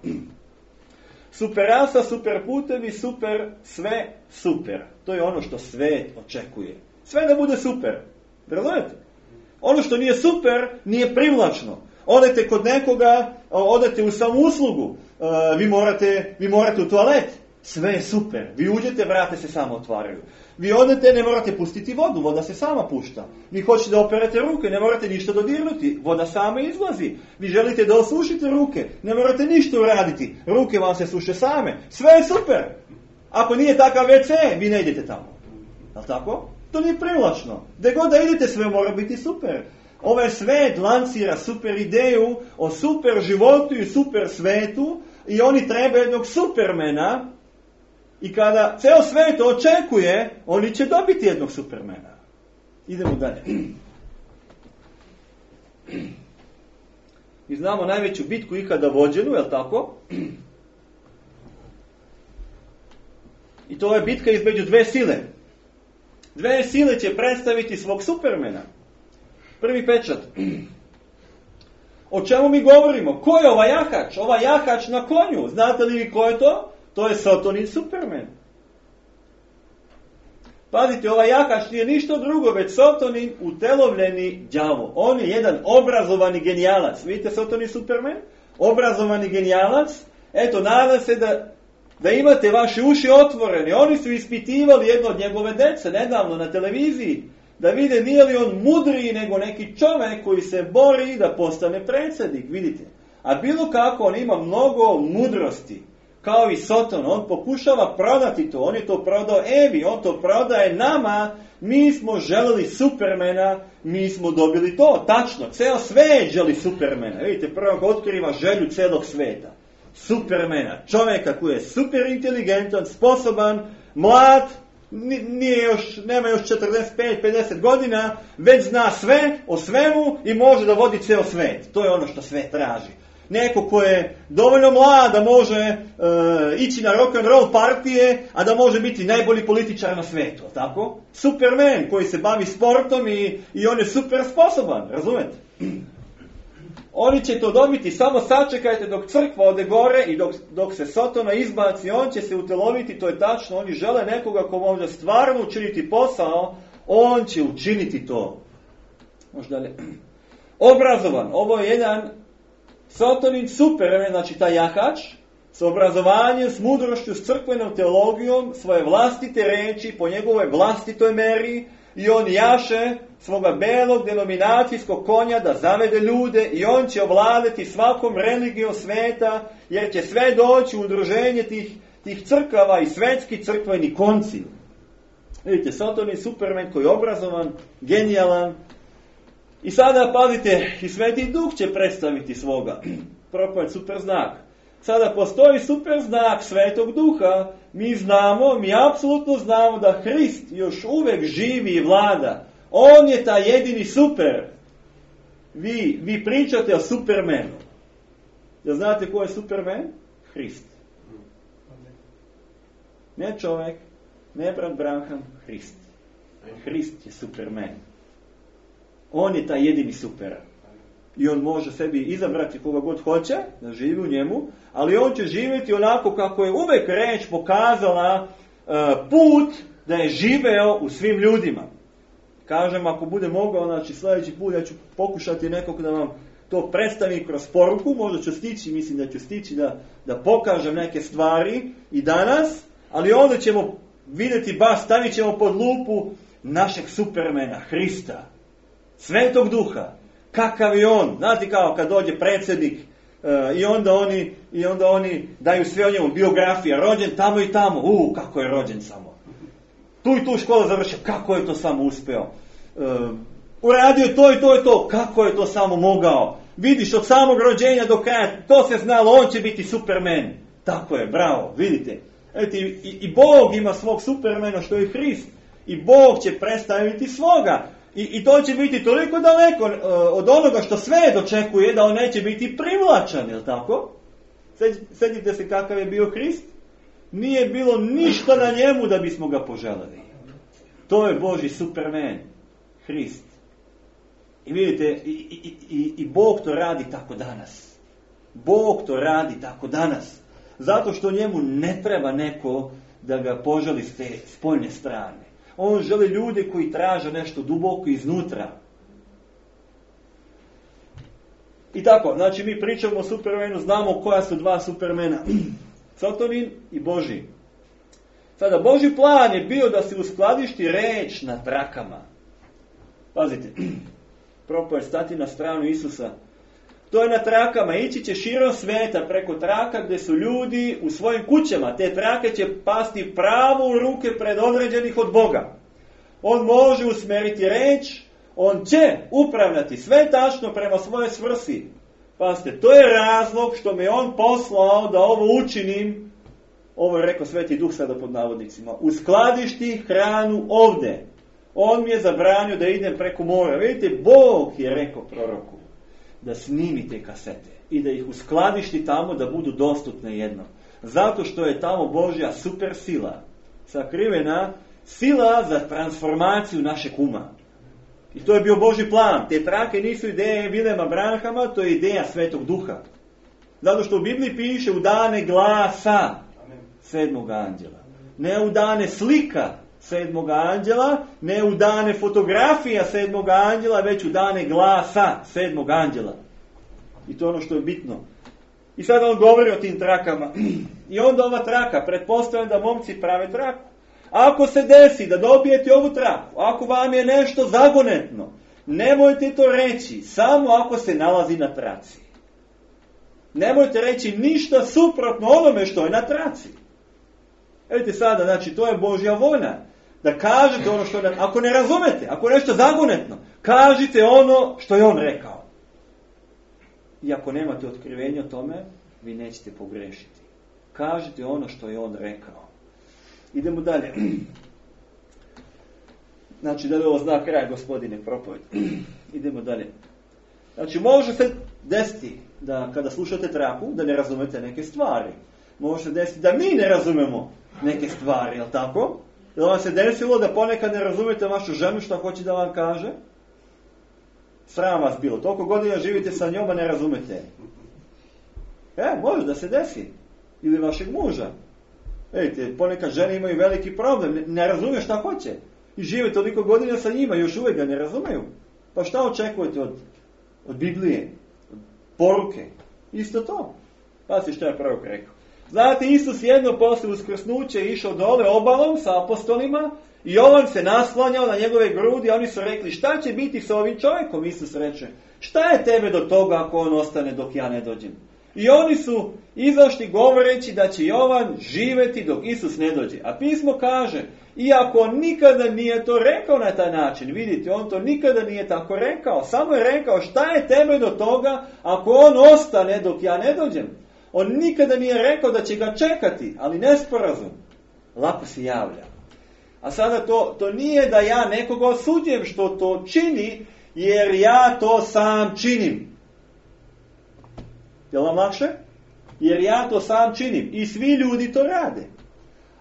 Superrasa, super putevi, super, sve super. To je ono što svet očekuje. Sve da bude super. Razumete? Ono što nije super, nije privlačno. Odete kod nekoga, odete u samouslugu, vi morate u toalet. Sve je super. Vi uđete, vrate se samo otvaraju. Vi odete, ne morate pustiti vodu, voda se sama pušta. Vi hoćete da operete ruke, ne morate ništa dodirnuti, voda sama izlazi. Vi želite da osušite ruke, ne morate ništa uraditi, ruke vam se suše same. Sve je super. Ako nije takav WC, vi ne idete tamo. Jel' tako? To nije privlačno. Gde god da idete, sve mora biti super. Ovaj svet lancira super ideju o super životu i super svetu i oni treba jednog supermena. I kada ceo svet očekuje, oni će dobiti jednog supermena. Idemo dalje. Mi znamo najveću bitku ikada vođenu, je li tako? I to je bitka između dve sile. Dve sile će predstaviti svog supermena. Prvi pečat. O čemu mi govorimo? Ko je ovaj jahač? Ovaj jahač na konju. Znate li vi ko je to? To je Satanin Superman. Pazite, ovaj jahač nije ništa drugo, već Satanin utelovljeni đavo. On je jedan obrazovani genijalac. Vidite Satanin Superman? Obrazovani genijalac. Eto, nadam se da imate vaše uši otvorene. Oni su ispitivali jedno od njegove dece nedavno na televiziji. Da vide nije li on mudriji nego neki čovjek koji se bori da postane predsjednik. Vidite. A bilo kako, on ima mnogo mudrosti. Kao i Satan, on pokušava prodati to, on je to prodao Evi, on to prodaje nama, mi smo želeli Supermana, mi smo dobili to, tačno, ceo svet želi Supermana, vidite, prvog otkriva želju celog sveta, Supermana, čovjeka koji je super inteligentan, sposoban, mlad, nema još 45-50 godina, već zna sve o svemu i može da vodi ceo svet, to je ono što svet traži. Neko ko je dovoljno mlad da može ići na rock and roll partije, a da može biti najbolji političar na svetu, tako? Superman koji se bavi sportom i on je super sposoban, razumete? Oni će to dobiti, samo sačekajte dok crkva ode gore i dok se Sotona izbaci, on će se uteloviti, to je tačno, oni žele nekoga ko može stvarno učiniti posao, on će učiniti to. Možda ne. Obrazovan, ovo je jedan Satanin Superman, znači taj jahač, s obrazovanjem, s mudrošću, s crkvenom teologijom, svoje vlastite reči, po njegovoj vlastitoj meri, i on jaše svoga belog denominacijskog konja da zavede ljude i on će ovladati svakom religijom sveta, jer će sve doći u udruženje tih crkava i svetski crkveni koncil. Vidite, Satan je Superman koji je obrazovan, genijalan. I sada, pazite, i Sveti Duh će predstaviti svoga propoved super znak. Sada postoji super znak Svetog Duha. Mi apsolutno znamo da Hrist još uvek živi i vlada. On je taj jedini super. Vi pričate o Supermanu. Da znate ko je Superman? Hrist. Ne čovjek, ne brat Branham, Hrist. Hrist je Superman. On je taj jedini super. I on može sebi izabrati koga god hoće, da živi u njemu, ali on će živjeti onako kako je uvek reč pokazala put da je živeo u svim ljudima. Kažem, ako bude mogao, znači sljedeći put ja ću pokušati nekog da vam to predstavim kroz poruku, možda ću stići, mislim da ću stići da pokažem neke stvari i danas, ali onda ćemo vidjeti stavit ćemo pod lupu našeg Supermana, Hrista, Svetog Duha. Kakav je on? Znate kao kad dođe predsjednik i onda oni daju sve o njemu, biografija, rođen tamo i tamo, kako je rođen samo. Tu i tu školu završio, kako je to samo uspeo. Uradio to i to i to, kako je to samo mogao. Vidiš, od samog rođenja do kraja, to se znalo, on će biti Superman. Tako je, bravo, vidite. I Bog ima svog Supermana što je Hrist. I Bog će predstaviti svoga. I to će biti toliko daleko od onoga što sve dočekuje da on neće biti privlačan, je li tako? Sjetite se kakav je bio Hrist? Nije bilo ništa na njemu da bismo ga poželjeli. To je Božji Superman, Hrist. I vidite, i Bog to radi tako danas. Bog to radi tako danas. Zato što njemu ne treba neko da ga poželi s te spoljne strane. On želi ljude koji traže nešto duboko iznutra. I tako, znači mi pričamo o Supermanu, znamo koja su dva Supermana. Satanin i Božji. Sada, Božji plan je bio da se uskladišti reč na trakama. Pazite, propoved stati na stranu Isusa. To je na trakama, ići će širom sveta preko traka gdje su ljudi u svojim kućama. Te trake će pasti pravo u ruke predodređenih od Boga. On može usmeriti reč, on će upravljati sve tačno prema svojoj svrsi. Pazite, to je razlog što me on poslao da ovo učinim, ovo je rekao Sveti Duh sada pod navodnicima, uskladišti hranu ovdje. On mi je zabranio da idem preko mora. Vidite, Bog je rekao proroku da snimite kasete i da ih uskladišti tamo da budu dostupne jednom. Zato što je tamo Božja super sila, sakrivena sila za transformaciju našeg uma. I to je bio Božji plan. Te trake nisu ideje Vilema Branhama, to je ideja Svetog Duha. Zato što u Bibliji piše u dane glasa sedmog anđela. Ne u dane slika sedmog anđela, ne u dane fotografija sedmog anđela, već u dane glasa sedmog anđela. I to je ono što je bitno. I sad on govori o tim trakama. I onda ova traka, pretpostavljam da momci prave traku. Ako se desi da dobijete ovu traku, ako vam je nešto zagonetno, nemojte to reći, samo ako se nalazi na traci. Nemojte reći ništa suprotno onome što je na traci. Vidite sada, znači to je Božja volja. Da kažete ono što je, ako ne razumete, ako je nešto zagonetno, kažite ono što je on rekao. I ako nemate otkrivenja o tome, vi nećete pogrešiti. Kažite ono što je on rekao. Idemo dalje. Znači, da li ovo zna kraj, gospodine, propoved. Idemo dalje. Znači, može se desiti da kada slušate traku, da ne razumete neke stvari. Može se desiti da mi ne razumemo neke stvari, jel tako? Jel vam se desilo da ponekad ne razumete vašu ženu što hoće da vam kaže? Sram vas bilo. Toliko godina živite sa njom, a ne razumete. Može da se desi. Ili vašeg muža. Vidite, ponekad žene imaju veliki problem. Ne razume šta hoće. I žive toliko godina sa njima, još uvijek ga ne razumeju. Pa šta očekujete od Biblije? Od poruke? Isto to. Pazite što je prorok rekao. Znate, Isus jedno posle uskrsnuća išao dole obalom sa apostolima I Jovan se naslanjao na njegove grudi, a oni su rekli, šta će biti sa ovim čovjekom? Isus reče, šta je tebe do toga ako on ostane dok ja ne dođem? I oni su izašli govoreći da će Jovan živjeti dok Isus ne dođe. A pismo kaže, iako on nikada nije to rekao na taj način, vidite, on to nikada nije tako rekao, samo je rekao, šta je tebe do toga ako on ostane dok ja ne dođem? On nikada nije rekao da će ga čekati, ali nesporazum lako se javlja. A sada to nije da ja nekoga osuđujem što to čini, jer ja to sam činim. Je li vam lakše? Jer ja to sam činim. I svi ljudi to rade.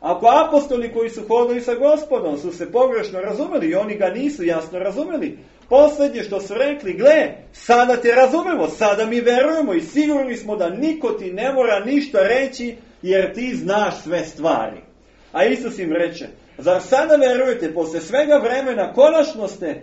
Ako apostoli koji su hodili sa Gospodom su se pogrešno razumeli i oni ga nisu jasno razumeli, posljednje što su rekli, gle, sada te razumemo, sada mi verujemo i sigurni smo da niko ti ne mora ništa reći jer ti znaš sve stvari. A Isus im reče, zar sada verujete, posle svega vremena konačno ste,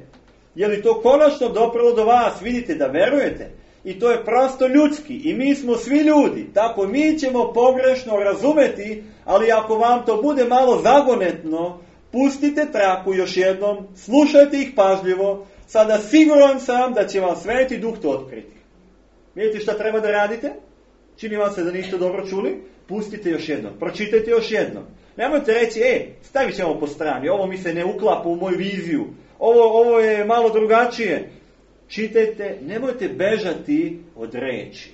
je li to konačno doprlo do vas, vidite da verujete? I to je prosto ljudski i mi smo svi ljudi, tako mi ćemo pogrešno razumeti, ali ako vam to bude malo zagonetno, pustite traku još jednom, slušajte ih pažljivo, sada siguran sam da će vam Sveti Duh to otkriti. Vidite šta treba da radite? Čini vam se da niste dobro čuli? Pustite još jednom, pročitajte još jednom. Nemojte reći, stavit ćemo po strani, ovo mi se ne uklapa u moju viziju, ovo je malo drugačije. Čitajte, nemojte bežati od reči.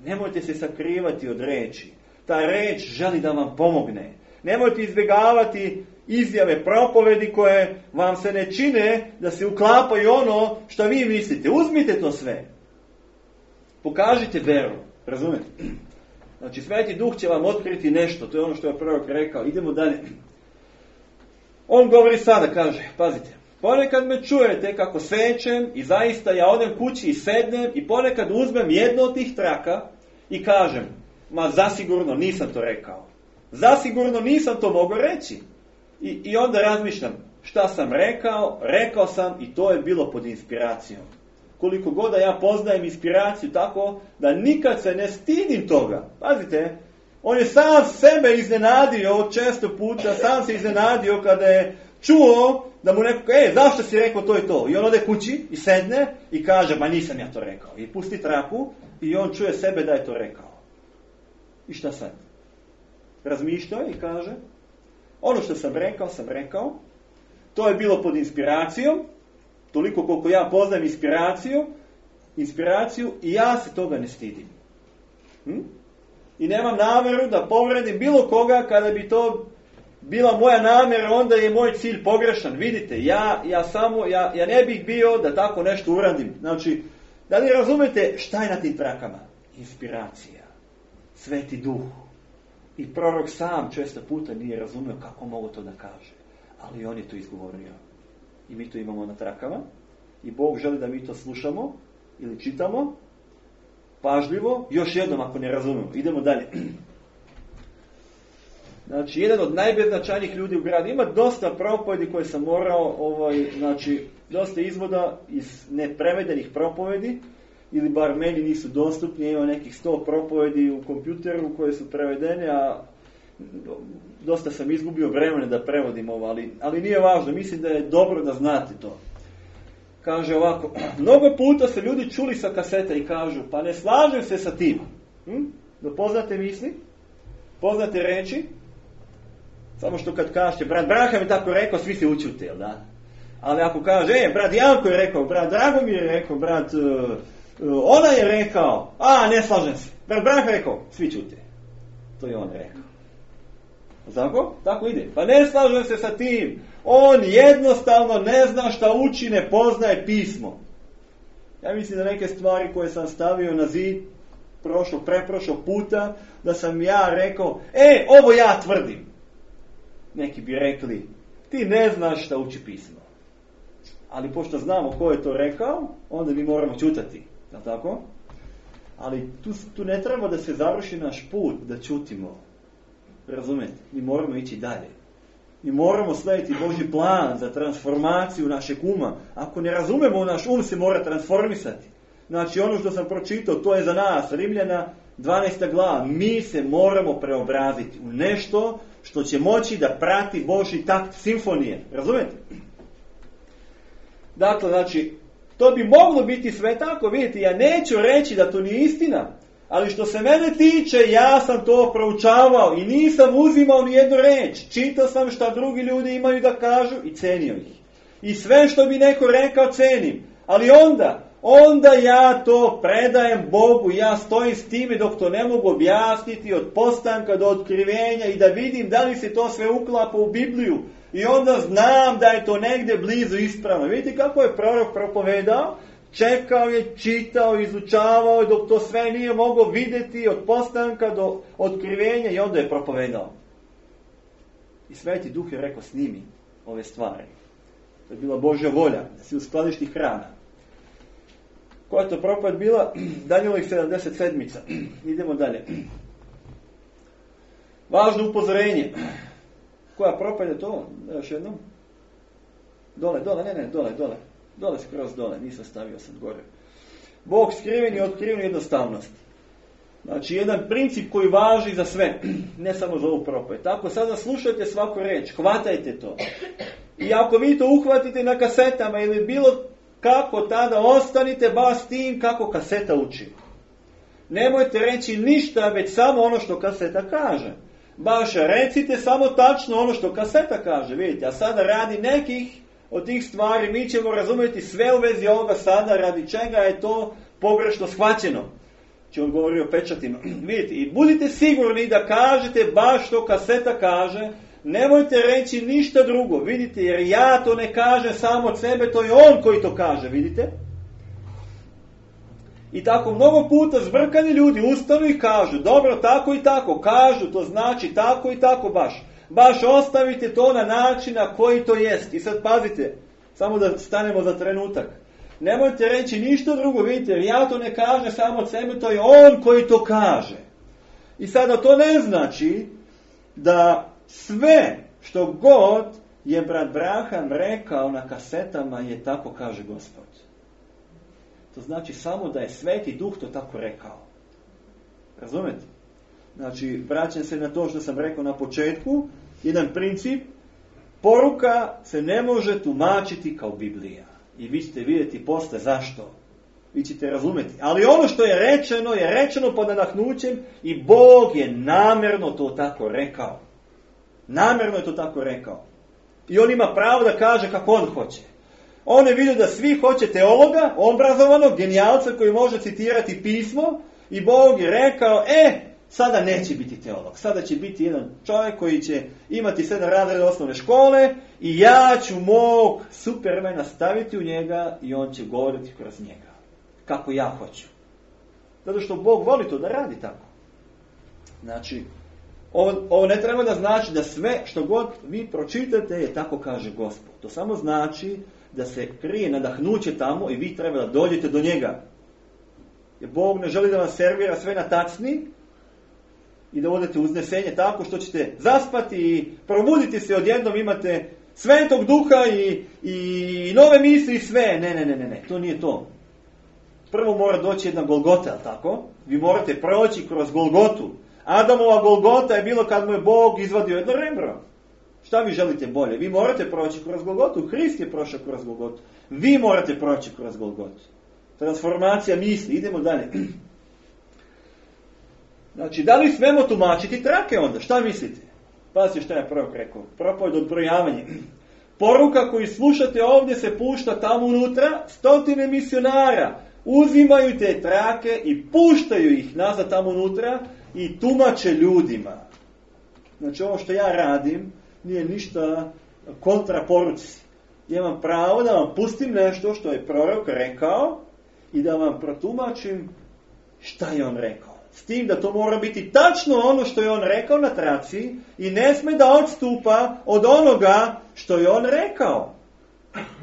Nemojte se sakrivati od reči. Ta reč želi da vam pomogne. Nemojte izbjegavati izjave, propovedi koje vam se ne čine da se uklapaju ono što vi mislite. Uzmite to sve. Pokažite veru. Razumete? Znači, Sveti Duh će vam otkriti nešto. To je ono što je prorok rekao. Idemo dalje. On govori sada, kaže, pazite. Ponekad me čujete kako sečem i zaista ja odem kući i sednem i ponekad uzmem jedno od tih traka i kažem, ma zasigurno nisam to rekao. Zasigurno nisam to mogao reći. I onda razmišljam, šta sam rekao sam i to je bilo pod inspiracijom. Koliko god da ja poznajem inspiraciju tako da nikad se ne stidim toga. Pazite, on je sam sebe iznenadio često puta, sam se iznenadio kada je čuo da mu neko, zašto si rekao to i to? I on ode kući i sedne i kaže, ma nisam ja to rekao. I pusti traku i on čuje sebe da je to rekao. I šta sad? Razmišlja i kaže, ono što sam rekao, to je bilo pod inspiracijom, toliko koliko ja poznajem inspiraciju i ja se toga ne stidim. I nemam namjeru da povredim bilo koga kada bi to bila moja namjera, onda je moj cilj pogrešan. Vidite, ja ne bih bio da tako nešto uradim. Znači, da li razumete šta je na tim trakama? Inspiracija, Sveti Duh. I prorok sam često puta nije razumio kako mogu to da kaže. Ali on je to izgovorio. I mi to imamo na trakama. I Bog želi da mi to slušamo ili čitamo pažljivo. Još jednom ako ne razumemo. Idemo dalje. Znači, jedan od najbeznačajnijih ljudi u gradu. Ima dosta propovedi koje sam morao, dosta izvoda iz neprevedenih propovedi, ili bar meni nisu dostupni. Ima nekih 100 propovedi u kompjuteru koje su prevedene, a dosta sam izgubio vremena da prevodim ovo, ali nije važno. Mislim da je dobro da znate to. Kaže ovako, mnogo puta se ljudi čuli sa kaseta i kažu, pa ne slažem se sa tim. Da poznate misli, poznate reči, samo što kad kažete, brat Branham je tako rekao, svi se učute, jel da? Ali ako kaže, brat Janko je rekao, brat Dragomir je rekao, brat ona je rekao, ne slažem se. Brat Branham je rekao, svi čute. To je on rekao. Tako? Tako ide. Pa ne slažem se sa tim. On jednostavno ne zna šta uči, ne poznaje pismo. Ja mislim da neke stvari koje sam stavio na zid preprošlog puta, da sam ja rekao, ovo ja tvrdim. Neki bi rekli, ti ne znaš šta uči pismo. Ali pošto znamo ko je to rekao, onda mi moramo čutati. Je li tako? Ali tu ne treba da se završi naš put, da čutimo. Razumete? Mi moramo ići dalje. Mi moramo slijediti Božji plan za transformaciju našeg uma. Ako ne razumemo, naš um se mora transformisati. Znači, ono što sam pročitao, to je za nas. Rimljana 12. glava. Mi se moramo preobraziti u nešto što će moći da prati Božji takt simfonije. Razumete? Dakle, znači, to bi moglo biti sve tako, vidite, ja neću reći da to nije istina, ali što se mene tiče, ja sam to proučavao i nisam uzimao ni jednu reč. Čitao sam šta drugi ljudi imaju da kažu i cenio ih. I sve što bi neko rekao cenim. Ali onda ja to predajem Bogu, ja stojim s time dok to ne mogu objasniti od postanka do otkrivenja i da vidim da li se to sve uklapa u Bibliju. I onda znam da je to negdje blizu ispravno. Vidite kako je prorok propovedao? Čekao je, čitao, izučavao dok to sve nije mogao vidjeti od postanka do otkrivenja i onda je propovedao. I Sveti Duh je rekao snimi ove stvari. To je bila Božja volja, da si uskladiš hrana. Koja je to propoved bila? Danijelovih 77. Idemo dalje. Važno upozorenje. Koja propoved je to? Još jednom. Dole. Dole skroz dole, nisam stavio sad gore. Bog skriven i otkriven jednostavnost. Znači, jedan princip koji važi za sve, ne samo za ovu propoved. Tako, sada slušajte svaku reč, hvatajte to. I ako vi to uhvatite na kasetama ili bilo kako, tada ostanite baš s tim kako kaseta uči. Nemojte reći ništa, već samo ono što kaseta kaže. Baš recite samo tačno ono što kaseta kaže, vidite. A sada radi nekih od tih stvari mi ćemo razumjeti sve u vezi ovoga sada, radi čega je to pogrešno shvaćeno. Či on govori o pečatima. Vidite, i budite sigurni da kažete baš što kaseta kaže, nemojte reći ništa drugo, vidite, jer ja to ne kažem samo od sebe, to je on koji to kaže, vidite. I tako mnogo puta zbrkani ljudi ustanu i kažu, dobro, tako i tako, kažu, to znači tako i tako baš. Baš ostavite to na način na koji to jest. I sad pazite, samo da stanemo za trenutak. Nemojte reći ništa drugo, vidite, jer ja to ne kažem samo od sebe, to je on koji to kaže. I sada to ne znači da sve što god je brat Braham rekao na kasetama je tako kaže Gospod. To znači samo da je Sveti Duh to tako rekao. Razumete? Znači, vraćam se na to što sam rekao na početku, jedan princip, poruka se ne može tumačiti kao Biblija. I vi ćete vidjeti posle zašto. Vi ćete razumjeti. Ali ono što je rečeno pod nadahnućem i Bog je namjerno to tako rekao. Namjerno je to tako rekao. I on ima pravo da kaže kako on hoće. On je vidio da svi hoće teologa, obrazovanog, genijalca koji može citirati pismo i Bog je rekao, sada neće biti teolog. Sada će biti jedan čovjek koji će imati 7 razreda osnovne škole i ja ću mog Supermana staviti u njega i on će govoriti kroz njega. Kako ja hoću. Zato što Bog voli to da radi tako. Znači, ovo ne treba da znači da sve što god vi pročitate je tako kaže Gospod. To samo znači da se krije nadahnuće tamo i vi treba da dođete do njega. Jer Bog ne želi da vam servira sve na tacni i da odete uznesenje tako što ćete zaspati i probuditi se odjednom, imate Svetog Duha i nove misli i sve. Ne, to nije to. Prvo mora doći jedna Golgota, ali tako? Vi morate proći kroz Golgotu. Adamova Golgota je bilo kad mu je Bog izvadio jedno rebro. Šta vi želite bolje? Vi morate proći kroz Golgotu. Hrist je prošao kroz Golgotu. Vi morate proći kroz Golgotu. Transformacija misli. Idemo dalje. Znači, da li smemo tumačiti trake onda? Šta mislite? Pazite šta je prorok rekao. Propoved odbrojavanje. Poruka koju slušate ovdje se pušta tamo unutra. 100 misionara uzimaju te trake i puštaju ih nazad tamo unutra i tumače ljudima. Znači, ovo što ja radim nije ništa kontra poruci. Ja imam pravo da vam pustim nešto što je prorok rekao i da vam protumačim šta je on rekao. S tim da to mora biti tačno ono što je on rekao na traci i ne sme da odstupa od onoga što je on rekao.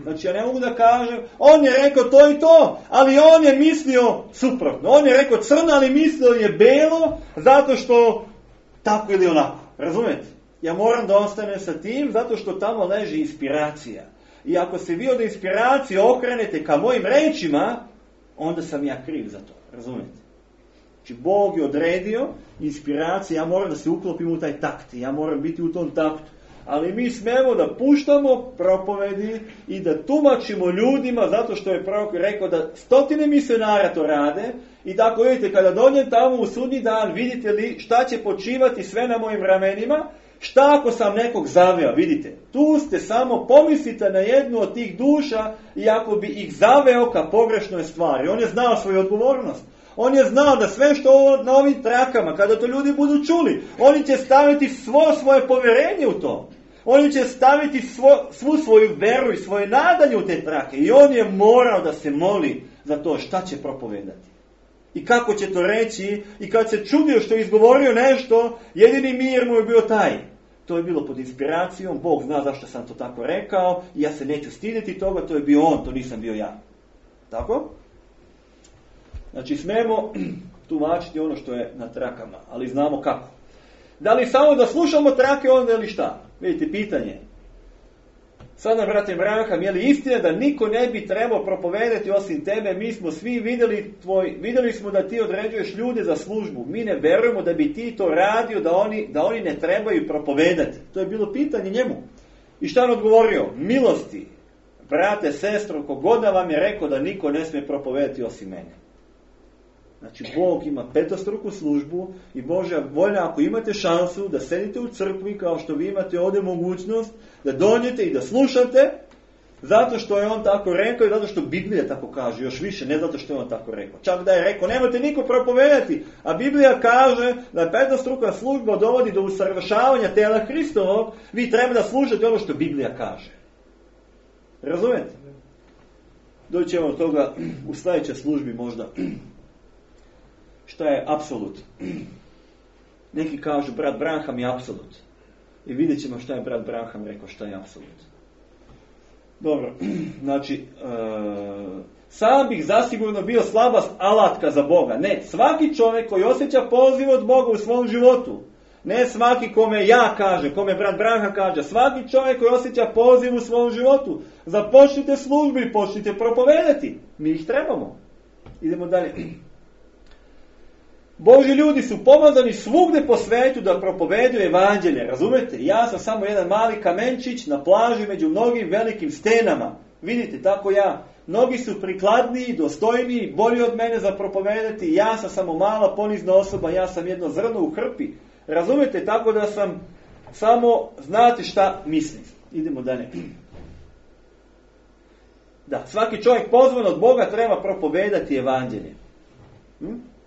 Znači, ja ne mogu da kažem, on je rekao to i to, ali on je mislio suprotno. On je rekao crno, ali mislio je belo, zato što tako ili onako. Razumete? Ja moram da ostanem sa tim, zato što tamo leži inspiracija. I ako se vi od inspiracije okrenete ka mojim rečima, onda sam ja kriv za to. Razumete? Znači, Bog je odredio inspiracije, ja moram da se uklopim u taj takt, ja moram biti u tom taktu. Ali mi smemo da puštamo propovedi i da tumačimo ljudima, zato što je prorok rekao da 100 misionara to rade. I tako vidite, kada dođem tamo u sudnji dan, vidite li šta će počivati sve na mojim ramenima, šta ako sam nekog zaveo, vidite. Tu ste samo, pomislite na jednu od tih duša i ako bi ih zaveo ka pogrešnoj stvari. On je znao svoju odgovornost. On je znao da sve što na ovim trakama, kada to ljudi budu čuli, oni će staviti svoje povjerenje u to. Oni će staviti svu svoju veru i svoje nadanje u te trake. I on je morao da se moli za to šta će propovedati. I kako će to reći. I kad se čudio što je izgovorio nešto, jedini mir mu je bio taj. To je bilo pod inspiracijom. Bog zna zašto sam to tako rekao. I ja se neću stidjeti toga. To je bio on, to nisam bio ja. Tako? Znači smemo tumačiti ono što je na trakama. Ali znamo kako. Da li samo da slušamo trake onda ili šta? Vidite, pitanje. Sada, brate Branham, je li istina da niko ne bi trebao propovedati osim tebe? Mi smo svi vidjeli smo da ti određuješ ljude za službu. Mi ne verujemo da bi ti to radio, da oni ne trebaju propovedati. To je bilo pitanje njemu. I šta on odgovorio? Milosti, brate, sestro, kogoda vam je rekao da niko ne smije propovedati osim mene. Znači, Bog ima petostruku službu i Božja volja, ako imate šansu da sedite u crkvi, kao što vi imate ovdje mogućnost, da dođete i da slušate, zato što je on tako rekao i zato što Biblija tako kaže, još više, ne zato što je on tako rekao. Čak da je rekao, nemojte niko propovedati, a Biblija kaže da petostruka služba dovodi do usavršavanja tela Hristovog, vi treba da slušate ono što Biblija kaže. Razumete? Doći ćemo od toga u sljedećoj službi možda. Šta je apsolut? Neki kažu, brat Branham je apsolut. I vidjet ćemo šta je brat Branham rekao, šta je apsolut. Dobro, znači, sam bih zasigurno bio slabast alatka za Boga. Ne, svaki čovjek koji osjeća poziv od Boga u svom životu, ne svaki kome ja kažem, kome brat Branham kaže, svaki čovjek koji osjeća poziv u svom životu, započnite službu i počnite propovedati. Mi ih trebamo. Idemo dalje. Božji ljudi su pomazani svugdje po svetu da propoveduju evanđelje, razumete? Ja sam samo jedan mali kamenčić na plaži među mnogim velikim stenama. Vidite, tako ja. Mnogi su prikladniji, dostojniji, bolji od mene za propovedati. Ja sam samo mala ponizna osoba, ja sam jedno zrno u hrpi. Razumete, tako da sam samo, znate šta mislim. Idemo dalje. Da, svaki čovjek pozvan od Boga treba propovedati evanđelje.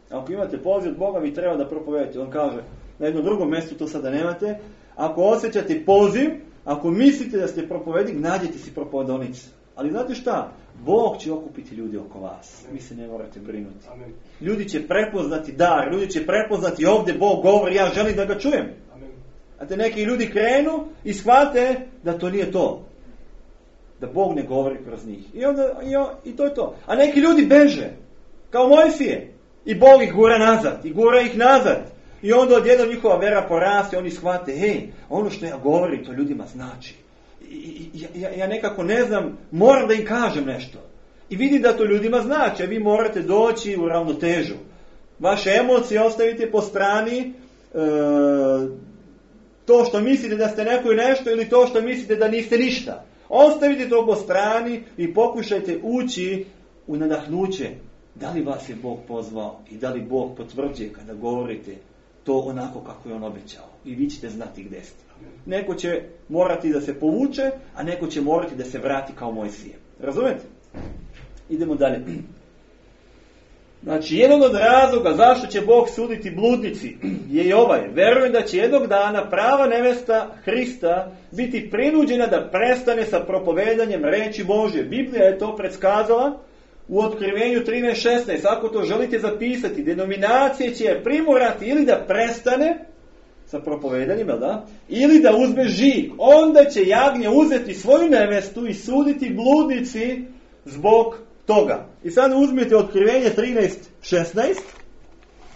Ako imate poziv od Boga, vi treba da propovedate. On kaže, na jednom drugom mjestu, to sada nemate, ako osjećate poziv, ako mislite da ste propovednik, nađete si propovedonicu. Ali znate šta? Bog će okupiti ljudi oko vas. Vi se ne morate brinuti. Amen. Ljudi će prepoznati dar, ljudi će prepoznati ovdje Bog govori, ja želim da ga čujem. Amen. A te neki ljudi krenu i shvate da to nije to. Da Bog ne govori kroz njih. I to je to. A neki ljudi beže, kao Mojsije. I Bog ih gura nazad, i gura ih nazad. I onda odjednom njihova vera poraste, oni shvate, hej, ono što ja govorim, to ljudima znači. Ja nekako ne znam, moram da im kažem nešto. I vidim da to ljudima znači, a vi morate doći u ravnotežu. Vaše emocije ostavite po strani, to što mislite da ste neko i nešto, ili to što mislite da niste ništa. Ostavite to po strani i pokušajte ući u nadahnuće. Da li vas je Bog pozvao i da li Bog potvrđuje kada govorite to onako kako je on obećao. I vi ćete znati gdje ste. Neko će morati da se povuče, a neko će morati da se vrati kao Mojsije. Razumete? Idemo dalje. Znači, jedan od razloga zašto će Bog suditi bludnici je i ovaj. Verujem da će jednog dana prava nevesta Hrista biti prinuđena da prestane sa propovedanjem reči Božje. Biblija je to predskazala u Otkrivenju 13.16. Ako to želite zapisati, denominacije će je primorati ili da prestane sa propovedanjem, da? Ili da uzme žig. Onda će jagnje uzeti svoju nevestu i suditi bludnici zbog toga. I sad uzmite Otkrivenje 13.16.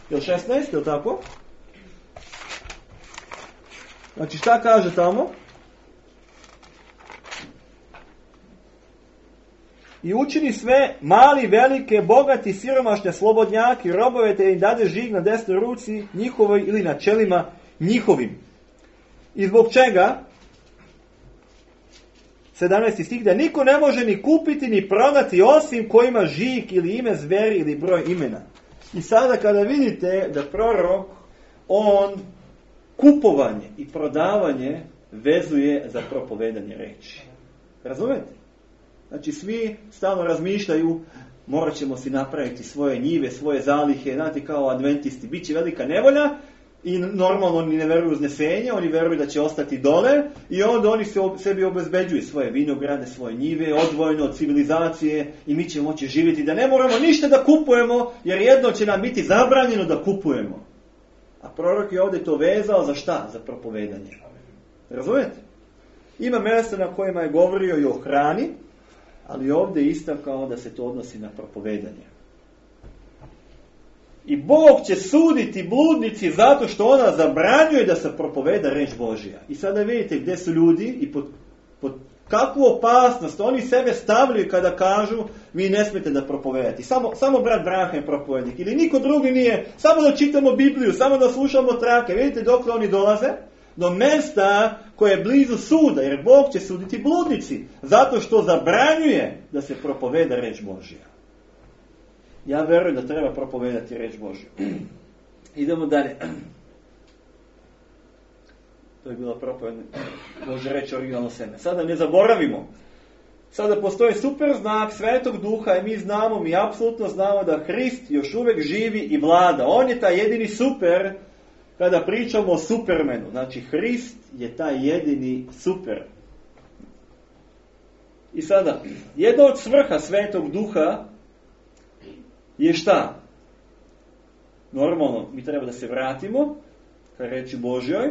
Jel 16, jel tako? Znači šta kaže tamo? i učini sve, mali, velike, bogati, siromašne, slobodnjaki, robove, te im dade žig na desnoj ruci njihovoj ili na čelima njihovim. I zbog čega? 17. stih, da niko ne može ni kupiti ni prodati osim ko ima žig ili ime zveri ili broj imena. I sada kada vidite da prorok, on kupovanje i prodavanje vezuje za propovedanje reči. Razumete? Znači svi stalno razmišljaju, morat ćemo si napraviti svoje njive, svoje zalihe, znate kao adventisti, bit će velika nevolja i normalno oni ne veruju u uznesenje, oni veruju da će ostati dole i onda oni sebi obezbeđuju svoje vinograde, svoje njive, odvojeno od civilizacije i mi ćemo moći živjeti da ne moramo ništa da kupujemo jer jedno će nam biti zabranjeno da kupujemo. A prorok je ovdje to vezao za šta? Za propovedanje. Razumijete? Ima mjesta na kojima je govorio i o hrani, ali ovdje je istakao da se to odnosi na propovedanje. I Bog će suditi bludnici zato što ona zabranjuje da se propoveda reč Božja. I sada vidite gdje su ljudi i pod kakvu opasnost oni sebe stavljaju kada kažu vi ne smijete da propovedati. Samo brat Branha je propovednik ili niko drugi nije. Samo da čitamo Bibliju, samo da slušamo trake. Vidite dok oni dolaze? Do mjesta koje je blizu suda, jer Bog će suditi bludnici, zato što zabranjuje da se propoveda reč Božja. Ja verujem da treba propovedati reč Božju. Idemo dalje. To je bila propovedna Božja reč, originalno seme. Sada ne zaboravimo. Sada postoji super znak Svetog Duha i mi apsolutno znamo da Hrist još uvijek živi i vlada. On je taj jedini super. Kada pričamo o Supermenu, znači Hrist je taj jedini super. I sada, jedna od svrha Svetog Duha je šta? Normalno, mi treba da se vratimo ka reči Božjoj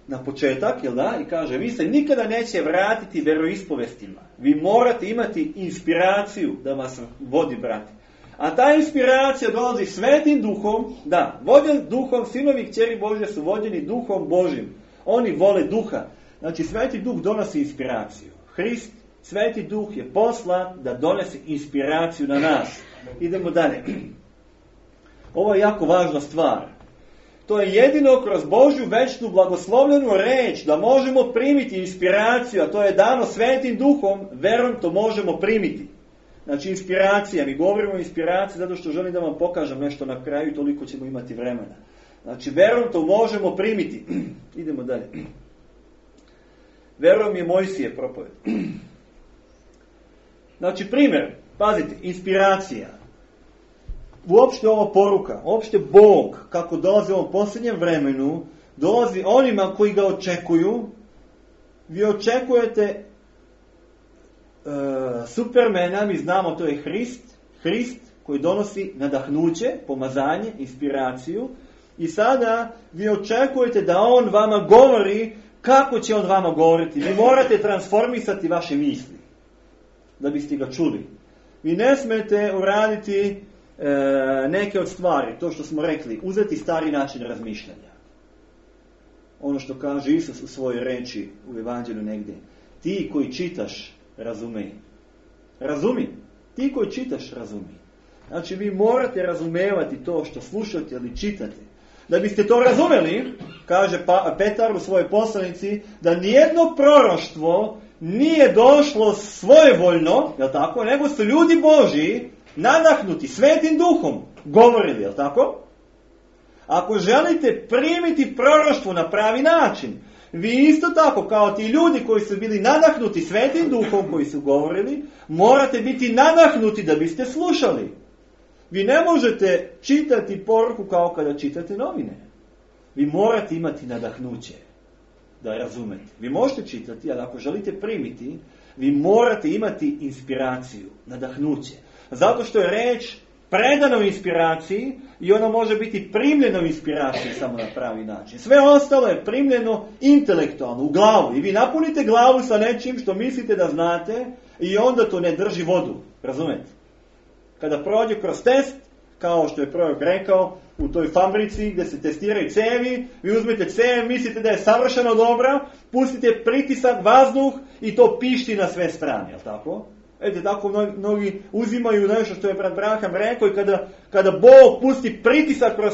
na početak, jel da? I kaže, vi se nikada neće vratiti veroispovestima. Vi morate imati inspiraciju da vas vodi, brati. A ta inspiracija dolazi Svetim Duhom, da, vođen Duhom, sinovi i kćeri Božje su vođeni Duhom Božjim. Oni vole Duha. Znači, Sveti Duh donosi inspiraciju. Hrist, Sveti Duh je poslan da donese inspiraciju na nas. Idemo dalje. Ovo je jako važna stvar. To je jedino kroz Božju večnu blagoslovljenu reč da možemo primiti inspiraciju, a to je dano Svetim Duhom, verom to možemo primiti. Znači inspiracija, mi govorimo o inspiraciji zato što želim da vam pokažem nešto na kraju i toliko ćemo imati vremena. Znači verom to možemo primiti. Idemo dalje. Verom je Mojsije propoved. Znači primjer, pazite, inspiracija. Uopšte ova poruka, uopšte Bog, kako dolazi u ovom posljednjem vremenu, dolazi onima koji ga očekuju. Vi očekujete Supermena, mi znamo to je Hrist koji donosi nadahnuće, pomazanje, inspiraciju i sada vi očekujete da on vama govori. Kako će on vama govoriti? Vi morate transformisati vaše misli da biste ga čuli. Vi ne smete uraditi neke od stvari, to što smo rekli, uzeti stari način razmišljanja. Ono što kaže Isus u svojoj reči u Evanđelju negdje. Ti koji čitaš, razumej. Razumi. Ti koji čitaš, razumi. Znači vi morate razumevati to što slušate ili čitate. Da biste to razumeli, kaže Petar u svojoj poslanici, da nijedno proroštvo nije došlo svojevoljno, jel tako, nego su ljudi Božji nadahnuti Svetim Duhom govorili, jel tako? Ako želite primiti proroštvo na pravi način, vi isto tako, kao ti ljudi koji su bili nadahnuti Svetim Duhom koji su govorili, morate biti nadahnuti da biste slušali. Vi ne možete čitati poruku kao kada čitate novine. Vi morate imati nadahnuće da razumete. Vi možete čitati, ali ako želite primiti, vi morate imati inspiraciju, nadahnuće. Zato što je reč predana u inspiraciji i ona može biti primljena u inspiraciji samo na pravi način. Sve ostalo je primljeno intelektualno, u glavu. I vi napunite glavu sa nečim što mislite da znate i onda to ne drži vodu. Razumete? Kada prođe kroz test, kao što je prorok rekao, u toj fabrici gdje se testiraju cevi, vi uzmete cev, mislite da je savršeno dobra, pustite pritisak, vazduh i to pišti na sve strane, jel tako? Vidite, tako mnogi uzimaju nešto što je brat Branham rekao i kada Bog pusti pritisak kroz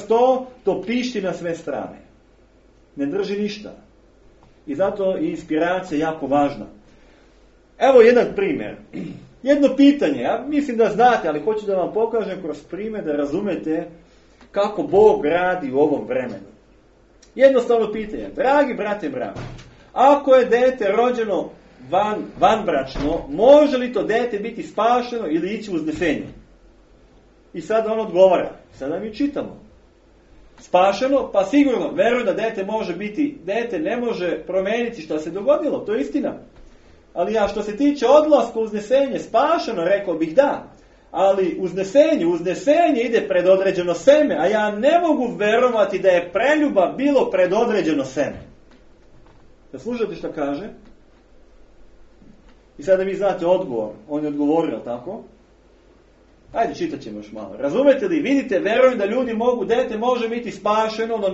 to pišti na sve strane. Ne drži ništa. I zato je inspiracija jako važna. Evo jedan primjer. Jedno pitanje, ja mislim da znate, ali hoću da vam pokažem kroz primjer da razumete kako Bog radi u ovom vremenu. Jednostavno pitanje. Dragi brate Branham, ako je dete rođeno vanbračno, može li to dete biti spašeno ili ići u uznesenje? I sad on odgovara. Sada mi čitamo. Spašeno, pa sigurno, verujem da dete ne može promijeniti što se dogodilo, to je istina. Ali ja što se tiče odlaska u uznesenje, spašeno, rekao bih da. Ali uznesenje ide pred određeno seme, a ja ne mogu verovati da je preljuba bilo pred određeno seme. Da slušate što kaže? I sada vi znate odgovor. On je odgovorio, tako? Ajde, čitat ćemo još malo. Razumete li? Vidite, verujem da ljudi dete može biti spašeno, ono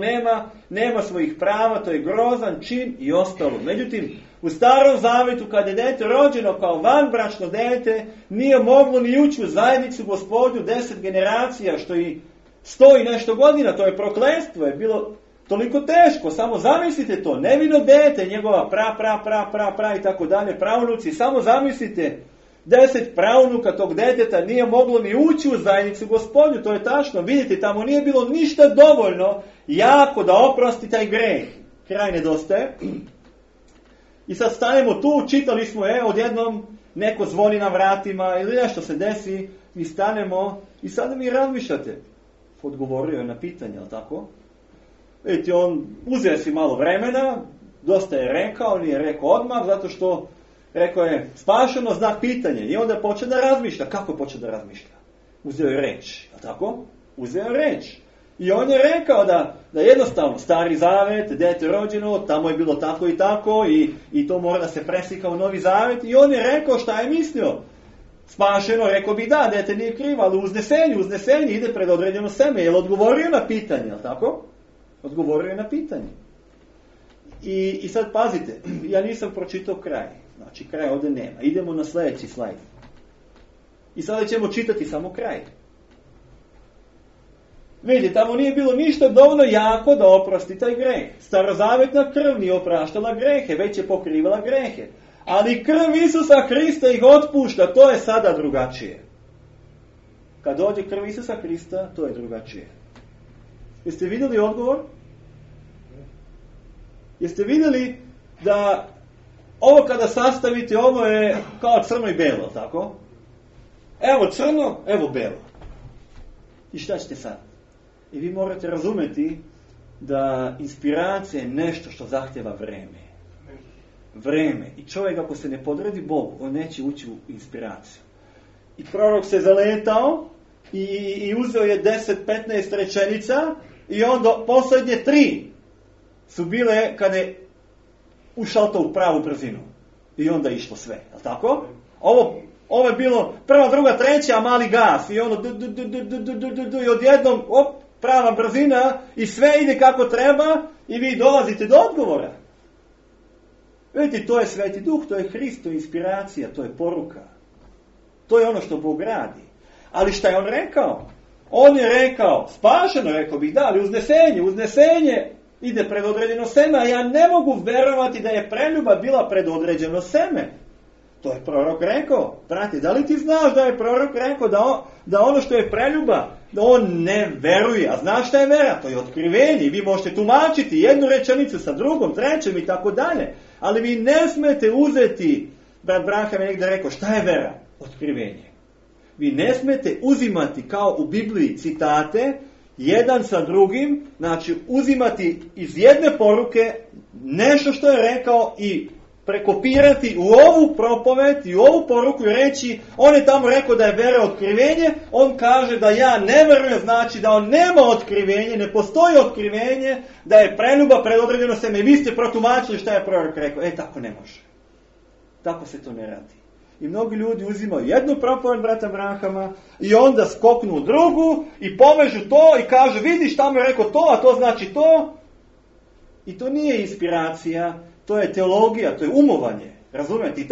nema svojih prava, to je grozan čin i ostalo. Međutim, u Starom Zavetu, kad je dete rođeno kao vanbračno dete, nije moglo ni ući u zajednicu Gospodnju 10 generacija, što i 100 i nešto godina, to je prokletstvo, je bilo toliko teško, samo zamislite to, nevino dete, njegova pra i tako dalje, pravnuci, samo zamislite, 10 pravnuka tog deteta nije moglo ni ući u zajednicu Gospodnju, to je tačno, vidite, tamo nije bilo ništa dovoljno jako da oprosti taj greh. Kraj nedostaje. I sad stanemo tu, čitali smo, odjednom neko zvoni na vratima ili nešto se desi, mi stanemo i sada mi razmišljate. Odgovorio je na pitanje, ali tako? Vidite, on uzeo si malo vremena, dosta je rekao, nije rekao odmah, zato što rekao je spašeno znak pitanje. I onda počeo da razmišlja. Kako je počeo da razmišlja? Uzeo je reč, ali tako? Uzeo je reč. I on je rekao da jednostavno Stari Zavet, dete rođeno, tamo je bilo tako i tako i to mora da se preslika u Novi Zavet. I on je rekao šta je mislio. Spašeno, rekao bi da, dete nije krivo, ali uznesenje ide pred određeno seme. Je li odgovorio na pitanje, ali tako? Odgovorio je na pitanje. I sad pazite, ja nisam pročitao kraj. Znači, kraj ovdje nema. Idemo na sljedeći slajd. I sada ćemo čitati samo kraj. Vidite, tamo nije bilo ništa dovoljno jako da oprosti taj greh. Starozavetna krv nije opraštala grehe, već je pokrivala grehe. Ali krv Isusa Hrista ih otpušta, to je sada drugačije. Kad dođe krv Isusa Hrista, to je drugačije. Jeste vidjeli odgovor? Jeste vidjeli da ovo kada sastavite, ovo je kao crno i belo, tako? Evo crno, evo belo. I šta ćete sad? I vi morate razumjeti da inspiracija je nešto što zahtjeva vreme. Vreme. I čovjek ako se ne podredi Bogu, on neće ući u inspiraciju. I prorok se zaletao i uzeo je 10-15 rečenica i onda posljednje 3 su bile kada je ušao to u pravu brzinu. I onda je išlo sve. Je li tako? Ovo je bilo prva, druga, treća, mali gas. I ono i odjednom prava brzina i sve ide kako treba i vi dolazite do odgovora. Vidite, to je Sveti Duh, to je Hrist, to je inspiracija, to je poruka. To je ono što Bog radi. Ali šta je on rekao? On je rekao, spašeno, rekao bih, da, ali uznesenje ide pred određeno seme, a ja ne mogu verovati da je preljuba bila pred određeno seme. To je prorok rekao. Brate, da li ti znaš da je prorok rekao da ono što je preljuba, da on ne veruje. A znaš šta je vera? To je otkrivenje. Vi možete tumačiti jednu rečenicu sa drugom, trećem i tako dalje. Ali vi ne smete uzeti, brat Branham je negdje rekao, šta je vera? Otkrivenje. Vi ne smete uzimati kao u Bibliji citate, jedan sa drugim, znači uzimati iz jedne poruke nešto što je rekao i prekopirati u ovu propoved i u ovu poruku i reći, on je tamo rekao da je vera otkrivenje, on kaže da ja ne verujem, znači da on nema otkrivenje, ne postoji otkrivenje, da je preljuba pred određeno seme. I vi ste protumačili šta je prorok rekao. Tako ne može. Tako se to ne radi. I mnogi ljudi uzimaju jednu propoved brata Branhama i onda skoknu u drugu i povežu to i kažu, vidiš tamo je rekao to, a to znači to. I to nije inspiracija, to je teologija, to je umovanje. Razumijete? I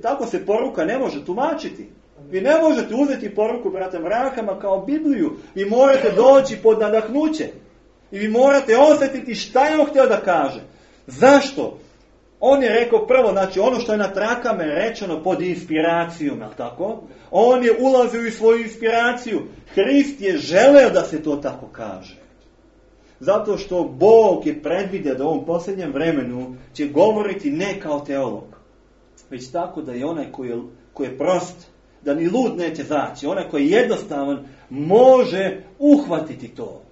tako se poruka ne može tumačiti. Vi ne možete uzeti poruku brata Mrakama kao Bibliju. Vi morate doći pod nadahnuće. I vi morate osjetiti šta je on htio da kaže. Zašto? On je rekao prvo, znači ono što je na trakama rečeno pod inspiracijom, jel tako? On je ulazio u svoju inspiraciju. Hrist je želeo da se to tako kaže. Zato što Bog je predvidio da u ovom posljednjem vremenu će govoriti ne kao teolog, već tako da je onaj koji je prost, da ni lud neće zaći, onaj koji je jednostavan, može uhvatiti to.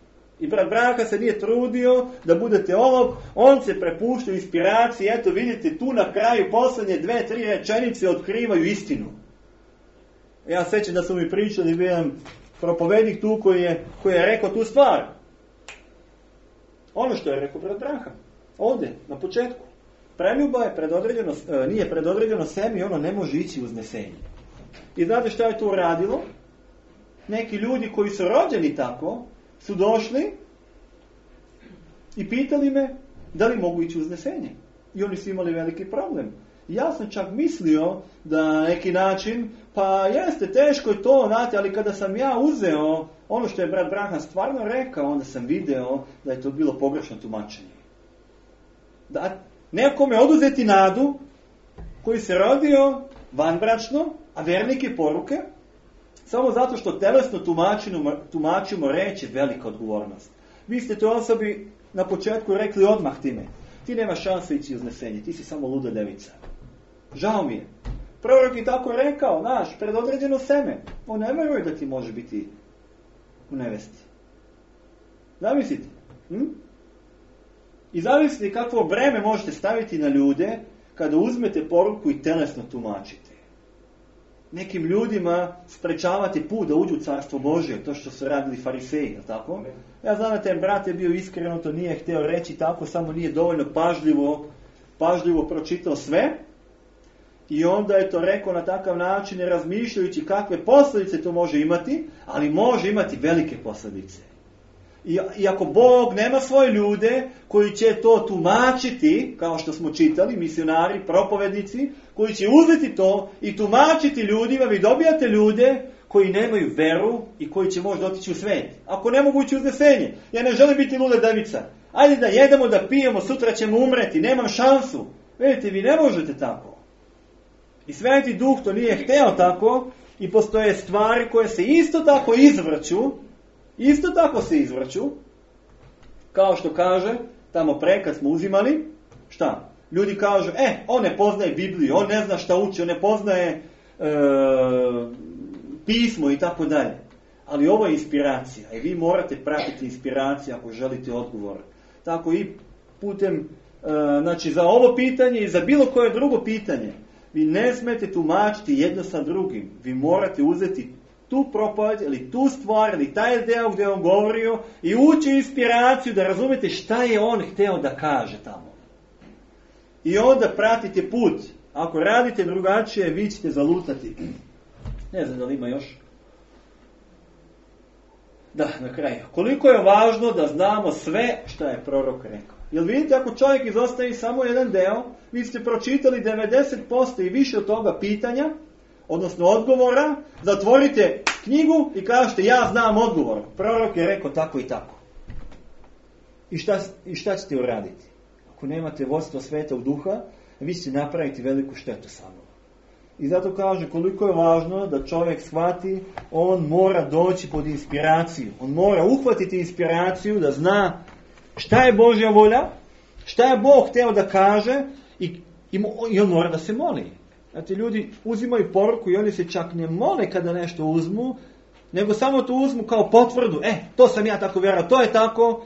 I brat Branka se nije trudio da bude teolog, on se prepušta inspiraciji, eto vidite tu na kraju posljednje 2-3 rečenice otkrivaju istinu. Ja sećam da su mi pričali, bio jedan propovednik tu koji je rekao tu stvar. Ono što je rekao brat Branka, ovdje, na početku. Preljuba je nije predodređeno semi, ono ne može ići uznesenje. I znate šta je to uradilo? Neki ljudi koji su rođeni tako, su došli i pitali me da li mogu ići uznesenje. I oni su imali veliki problem. Ja sam čak mislio da na neki način, pa jeste, teško je to, znate, ali kada sam ja uzeo ono što je brat Branham stvarno rekao, onda sam video da je to bilo pogrešno tumačenje. Da nekome oduzeti nadu koji se rodio vanbračno, a vernike poruke, samo zato što telesno tumačimo reći velika odgovornost. Vi ste toj osobi na početku rekli odmah time. Ti nemaš šanse ići uznesenje, ti si samo luda devica. Žao mi je. Prorok je tako rekao, znaš, predodređeno seme. On ne veruje da ti može biti u nevesti. Zamislite. I zamislite kakvo breme možete staviti na ljude kada uzmete poruku i telesno tumačite. Nekim ljudima sprečavate put da uđu u carstvo Božje, to što su radili fariseji, je tako? Ja znam da ten brat je bio iskreno, to nije htio reći tako, samo nije dovoljno pažljivo pročitao sve. I onda je to rekao na takav način, razmišljajući kakve posljedice to može imati, ali može imati velike posljedice. I ako Bog nema svoje ljude koji će to tumačiti, kao što smo čitali, misionari, propovednici, koji će uzeti to i tumačiti ljudima, vi dobijate ljude koji nemaju veru i koji će možda otići u svet. Ako ne mogu ići uznesenje, ja ne želim biti luda devica. Ajde da jedemo, da pijemo, sutra ćemo umreti, nemam šansu. Vidite, vi ne možete tako. I Sveti Duh to nije hteo tako i postoje stvari koje se isto tako izvrću, kao što kaže, tamo pre kad smo uzimali, šta? Ljudi kažu, on ne poznaje Bibliju, on ne zna šta uči, on ne poznaje pismo i tako dalje. Ali ovo je inspiracija i vi morate pratiti inspiraciju ako želite odgovor. Tako i putem, znači za ovo pitanje i za bilo koje drugo pitanje, vi ne smete tumačiti jedno sa drugim. Vi morate uzeti tu propoved ili tu stvar ili taj deo gdje je on govorio i ući inspiraciju da razumete šta je on htio da kaže tamo. I onda pratite put. Ako radite drugačije, vi ćete zalutati. Ne znam da li ima još. Da, na kraju. Koliko je važno da znamo sve što je prorok rekao. Jer vidite, ako čovjek izostavi samo jedan deo, vi ste pročitali 90% i više od toga pitanja, odnosno odgovora, zatvorite knjigu i kažete ja znam odgovor. Prorok je rekao tako i tako. I šta ćete uraditi? Ako nemate vodstvo Svetog Duha, vi ćete napraviti veliku štetu samo. I zato kaže koliko je važno da čovjek shvati, on mora doći pod inspiraciju. On mora uhvatiti inspiraciju da zna šta je Božja volja, šta je Bog htio da kaže i on mora da se moli. Znate, ljudi uzimaju poruku i oni se čak ne mole kada nešto uzmu, nego samo to uzmu kao potvrdu. To sam ja tako vjerovao, to je tako,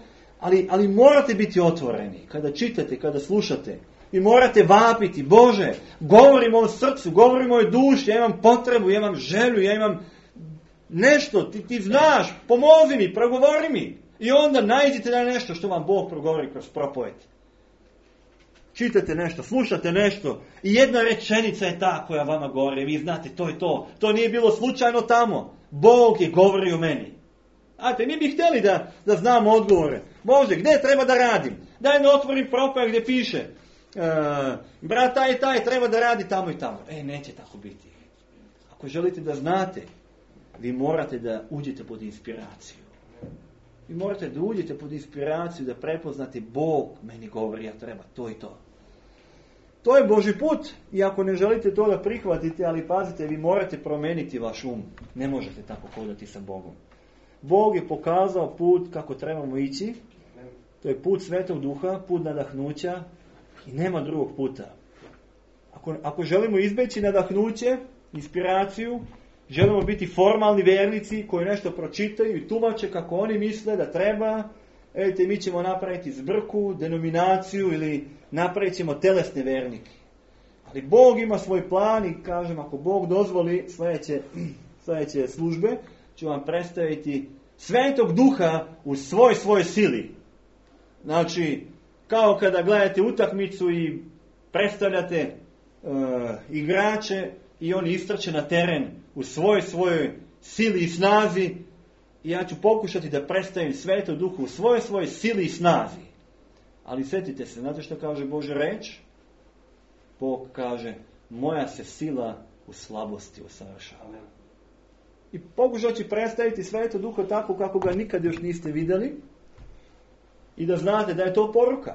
ali morate biti otvoreni. Kada čitate, kada slušate, vi morate vapiti, Bože, govorim o srcu, govorim o duši, ja imam potrebu, ja imam želju, ja imam nešto, ti znaš, pomozi mi, progovori mi. I onda nađite na nešto što vam Bog progovori kroz propoved. Čitate nešto, slušate nešto i jedna rečenica je ta koja vama govori. Vi znate, to je to. To nije bilo slučajno tamo. Bog je govorio meni. Znate, mi bi htjeli da znamo odgovore. Bože, gdje treba da radim? Daj da otvorim propoved gdje piše brat taj i taj treba da radi tamo i tamo. Neće tako biti. Ako želite da znate, vi morate da uđete pod inspiraciju. Vi morate da uđete pod inspiraciju, da prepoznate Bog meni govori, ja treba to i to. To je Božji put. I ako ne želite to da prihvatite, ali pazite, vi morate promeniti vaš um. Ne možete tako hodati sa Bogom. Bog je pokazao put kako trebamo ići. To je put Svetog Duha, put nadahnuća i nema drugog puta. Ako želimo izbeći nadahnuće, inspiraciju, želimo biti formalni vernici koji nešto pročitaju i tumače kako oni misle da treba, mi ćemo napraviti zbrku, denominaciju ili napravit ćemo telesne vernike. Ali Bog ima svoj plan i kažem, ako Bog dozvoli sljedeće službe, ću vam predstaviti Svetog Duha u svoj sili. Znači, kao kada gledate utakmicu i predstavljate igrače i oni istrče na teren u svojoj sili i snazi, i ja ću pokušati da predstavim Svetog Duha u svojoj sili i snazi. Ali sjetite se, znate što kaže Božja reč? Bog kaže, moja se sila u slabosti usavršava. I pokušat ću predstaviti Svetog Duha tako kako ga nikad još niste vidjeli i da znate da je to poruka.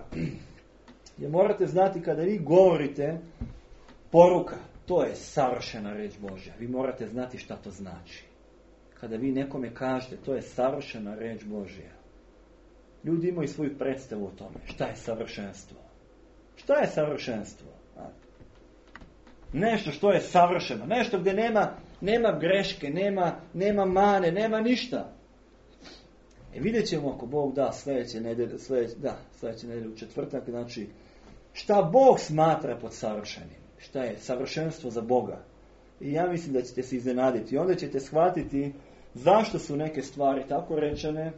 Jer morate znati kada vi govorite poruka, to je savršena reč Božja. Vi morate znati šta to znači. Kada vi nekome kažete, to je savršena reč Božja. Ljudi imaju svoju predstavu o tome. Šta je savršenstvo? Šta je savršenstvo? Nešto što je savršeno. Nešto gdje nema greške, nema mane, nema ništa. Vidjet ćemo ako Bog da sljedeće nedelje u četvrtak, znači šta Bog smatra pod savršenim. Šta je savršenstvo za Boga. I ja mislim da ćete se iznenaditi. I onda ćete shvatiti zašto su neke stvari tako rečene.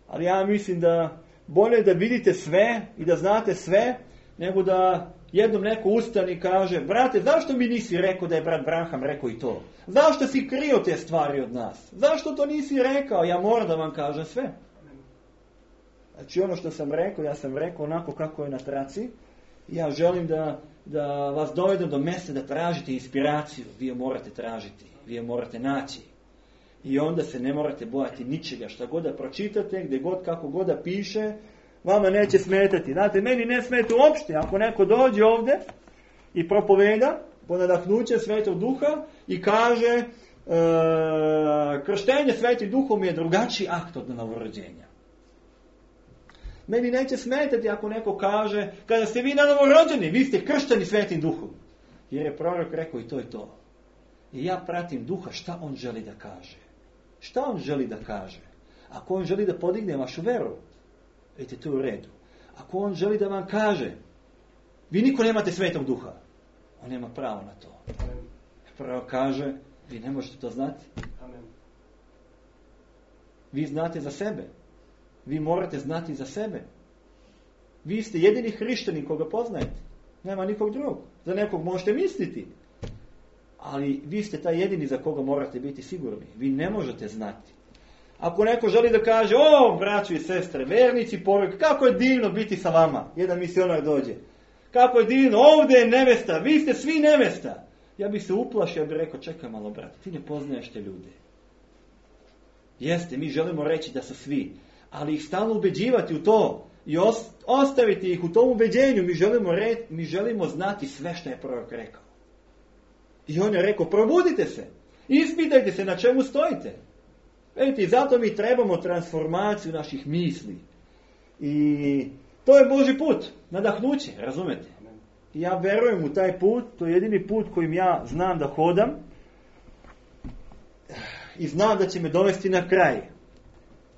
Ali ja mislim da bolje da vidite sve i da znate sve, nego da jednom neko ustane i kaže, brate, zašto mi nisi rekao da je brat Branham rekao i to? Zašto si krio te stvari od nas? Zašto to nisi rekao? Ja moram da vam kažem sve. Znači ono što sam rekao, ja sam rekao onako kako je na traci. Ja želim da vas dovedem do mjesta da tražite inspiraciju. Vi je morate tražiti, vi je morate naći. I onda se ne morate bojati ničega. Šta god da pročitate, gdje god, kako god da piše, vama neće smetati. Znate, meni ne smeta uopšte. Ako neko dođe ovdje i propoveda po nadahnuće Svetog Duha i kaže krštenje Svetim Duhom je drugačiji akt od novorođenja. Meni neće smetati ako neko kaže, kada ste vi na novorođeni, vi ste kršteni Svetim Duhom. Jer je prorok rekao i to je to. I ja pratim Duha šta on želi da kaže. Šta on želi da kaže? Ako on želi da podigne vašu veru, vidite, to je u redu. Ako on želi da vam kaže, vi niko nemate Svetog Duha, on nema pravo na to. Prorok kaže, vi ne možete to znati. Vi znate za sebe. Vi morate znati za sebe. Vi ste jedini hrišćanin koga poznajete. Nema nikog drugog. Za nekog možete misliti. Ali vi ste taj jedini za koga morate biti sigurni. Vi ne možete znati. Ako neko želi da kaže, braćo i sestre, vernici, poruke, kako je divno biti sa vama. Jedan misionar dođe. Kako je divno, ovdje je nevesta, vi ste svi nevesta. Ja bih se uplašio, ja bih rekao, čekaj malo, brate, ti ne poznaješ te ljude. Jeste, mi želimo reći da su svi. Ali ih stalno ubeđivati u to i ostaviti ih u tom ubeđenju. Mi želimo znati sve što je prorok rekao. I on je rekao, probudite se. Ispitajte se na čemu stojite. Vidite, zato mi trebamo transformaciju naših misli. I to je Božji put. Nadahnuće, razumete? I ja verujem u taj put. To je jedini put kojim ja znam da hodam. I znam da će me dovesti na kraj.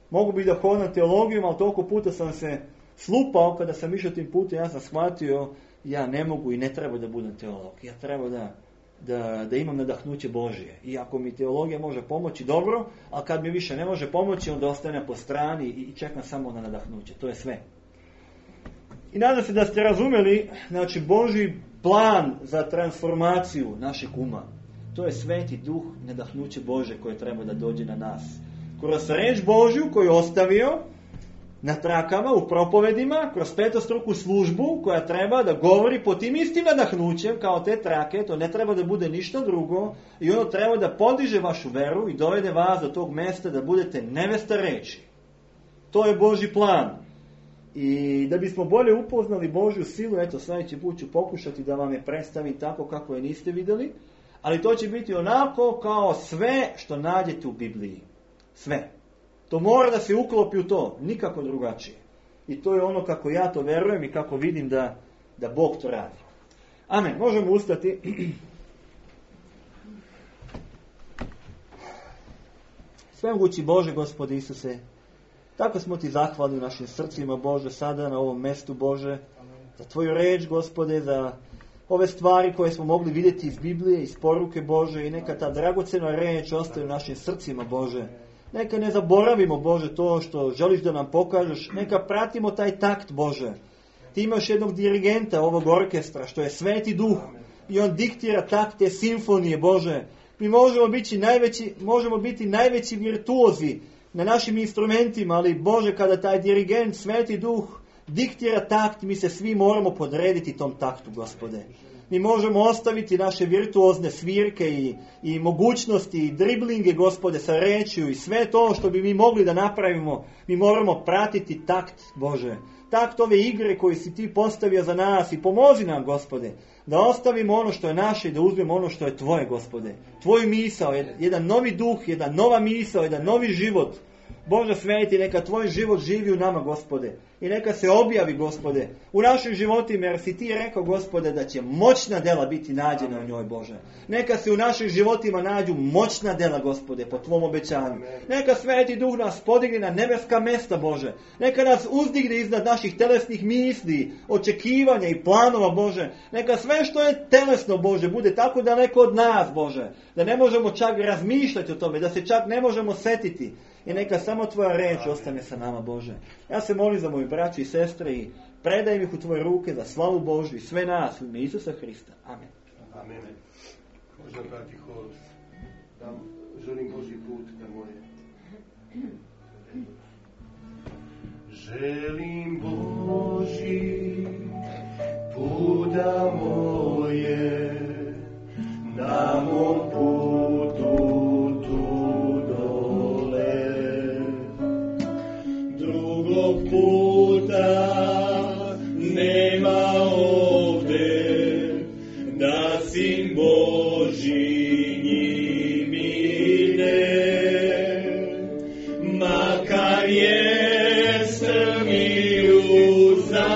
Mogu bi da hodam teologijom, ali toliko puta sam se slupao kada sam išao tim putem, ja sam shvatio, ja ne mogu i ne treba da budem teolog. Ja treba da imam nadahnuće Božje. I ako mi teologija može pomoći, dobro, a kad mi više ne može pomoći, onda ostane po strani i čekam samo na nadahnuće. To je sve. I nadam se da ste razumjeli, znači Božji plan za transformaciju našeg uma. To je Sveti Duh, nadahnuće Božje koje treba da dođe na nas. Kroz reč Božju koju je ostavio na trakama, u propovedima, kroz petostruku službu koja treba da govori po tim istim nadahnućem kao te trake, to ne treba da bude ništa drugo i ono treba da podiže vašu veru i dovede vas do tog mesta da budete nevesta reči. To je Božji plan. I da bismo bolje upoznali Božju silu, eto sljedeći put ću pokušati da vam je predstavim tako kako je niste vidjeli, ali to će biti onako kao sve što nađete u Bibliji. Sve. To mora da se uklopi u to, nikako drugačije. I to je ono kako ja to verujem i kako vidim da Bog to radi. Amen. Možemo ustati. Svemogući Bože, Gospode Isuse, tako smo ti zahvalni u našim srcima, Bože, sada na ovom mestu, Bože, za tvoju reč, Gospode, za ove stvari koje smo mogli vidjeti iz Biblije, iz poruke Bože, i neka ta dragocena reč ostaje u našim srcima, Bože. Neka ne zaboravimo, Bože, to što želiš da nam pokažeš. Neka pratimo taj takt, Bože. Ti imaš jednog dirigenta ovog orkestra, što je Sveti Duh. I on diktira takt te simfonije, Bože. Mi možemo biti najveći virtuozi na našim instrumentima, ali, Bože, kada taj dirigent, Sveti Duh, diktira takt, mi se svi moramo podrediti tom taktu, Gospode. Mi možemo ostaviti naše virtuozne svirke i mogućnosti i driblinge, Gospode, sa rečju i sve to što bi mi mogli da napravimo. Mi moramo pratiti takt, Bože. Takt ove igre koju si ti postavio za nas i pomozi nam, Gospode, da ostavimo ono što je naše i da uzmemo ono što je tvoje, Gospode. Tvoj misao, jedan novi duh, jedna nova misao, jedan novi život. Bože sveti, neka tvoj život živi u nama, Gospode. I neka se objavi, Gospode, u našim životima, jer si ti rekao, Gospode, da će moćna dela biti nađena u njoj, Bože. Neka se u našim životima nađu moćna dela, Gospode, po tvom obećanju. Neka Sveti Duh nas podigne na nebeska mesta, Bože. Neka nas uzdigne iznad naših telesnih misli, očekivanja i planova, Bože. Neka sve što je telesno, Bože, bude tako daleko od nas, Bože, da ne možemo čak razmišljati o tome, da se čak ne možemo setiti. I neka samo tvoja reč ostane sa nama, Bože. Ja se molim za moju braću i sestre i predajem ih u tvoje ruke za slavu Božju i sve nas u ime Isusa Hrista. Amen. Amen. Možda brati hod. Da želim Božji put da moje. Želim Božji put da moje, na mom putu tu dole. Drugog puta nema ovde, da Sin Božji njim ide. Makar jesam i uzam,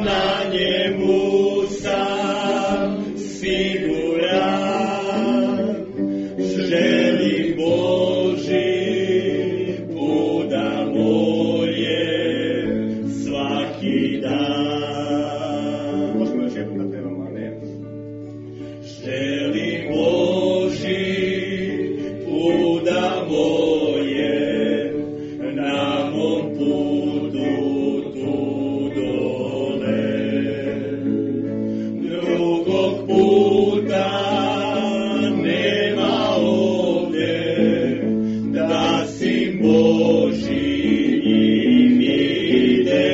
na njemu sam siguran. Želim Božji put da moje svaki dan. Možemo još jednom da pevamo, amen. Želim Božji put da moje, na mom putu tu dole. Drugog puta nema ovde, da Sin Božji njim ide.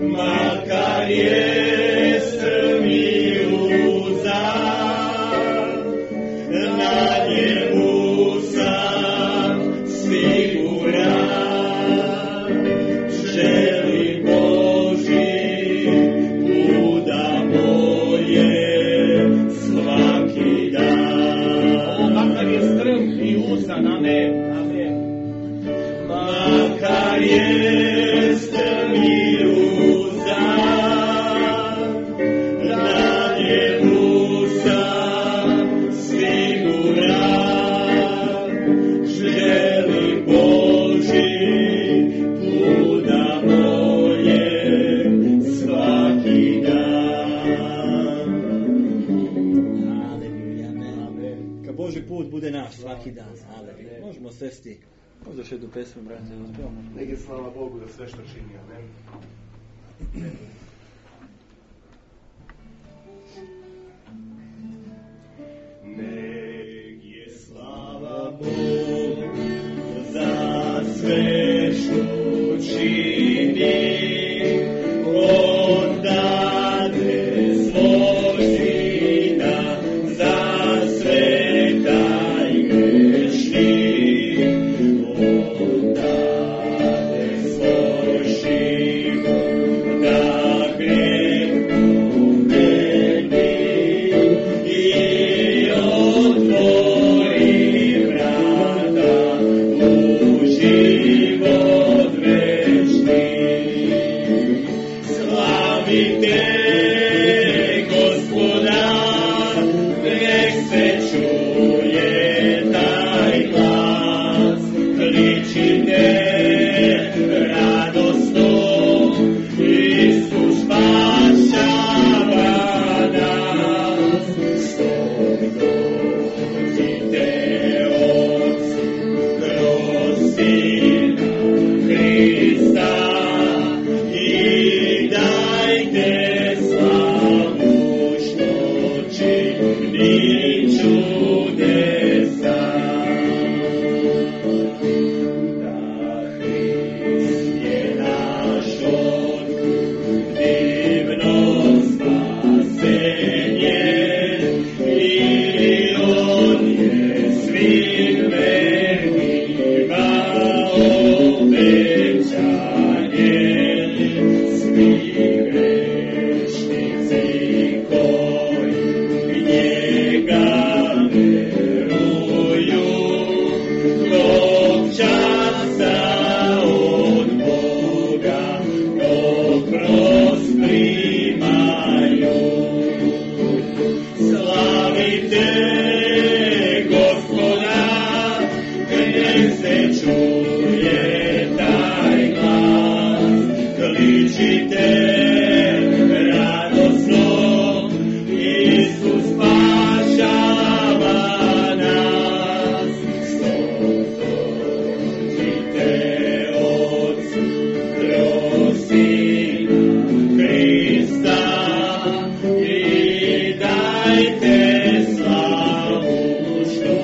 Makar jesam i uzam, na njemu sam siguran. Želim Božji put da moje svaki dan. Makar je strm i usan, amen, amen. Makar je strm i uzan, na njemu sam siguran. Želim Božji put da moje svaki dan. Aleluja, amen. Ka Božji put bude naš svaki dan. Aleluja. Možemo sesti. Možda još jednu pesmu, brate, uspijemo. Neka je slava Bogu za sve što čini, amen. Nek je slava Bogu za sve što čini, odade svog sina za sve taj grešni. Odade svoj život da greh pomeni i otvori vrata u život večni. Slavite Gospoda, nek se čuje taj glas, kličite radosno, Isus spašava nas. Stop dođite Otcu kroz Sina Hrista i dajte slavu što čini čudesa. Da Hrist je naš otkup, divno spasenje i On je svim vernima obećanje. Svi grešnici koji njega veruju, tog časa od Boga oprost primaju. Slavite Gospoda, nek se čuje taj glas, kličite radosno, Isus spašava nas. Stop dođite Otcu kroz Sina Hrista i dajte slavu što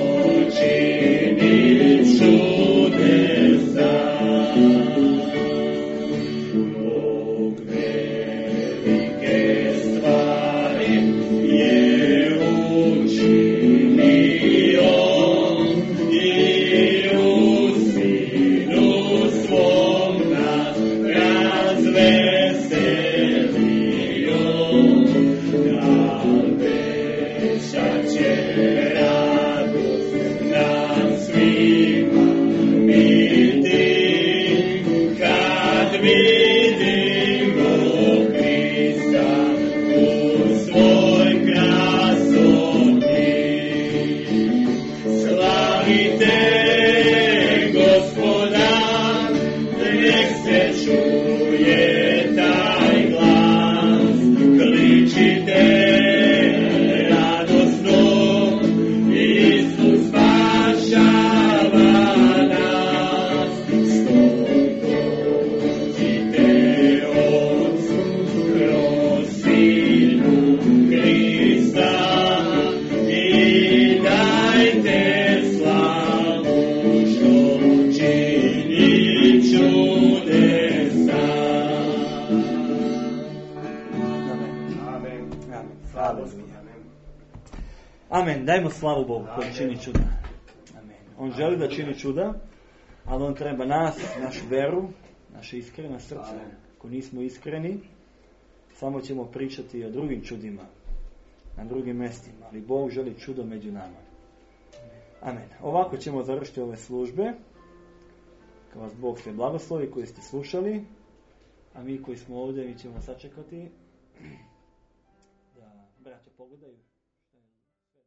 čini čudesa. Bog velike stvari je učinio i u Sinu svom nas razveselio. Da veća će radost nam svima biti, kad vidimo Hrista u svoj krasoti. Slavite Gospoda, nek se čuje taj glas, kličite radosno, Isus spašava nas. Stop dođite Otcu kroz Sina Hrista i dajte slavu što čini čudesa. Amen. Amen. Dajmo slavu Bogu koji čini čuda. Amen. On želi da čini čuda, ali on treba nas, našu veru, naše iskreno srce. Ako nismo iskreni, samo ćemo pričati o drugim čudima, na drugim mjestima, ali Bog želi čudo među nama. Amen. Ovako ćemo završiti ove službe. Kad vas Bog sve blagoslovi koji ste slušali, a mi koji smo ovdje, mi ćemo sačekati da braća pogledaju.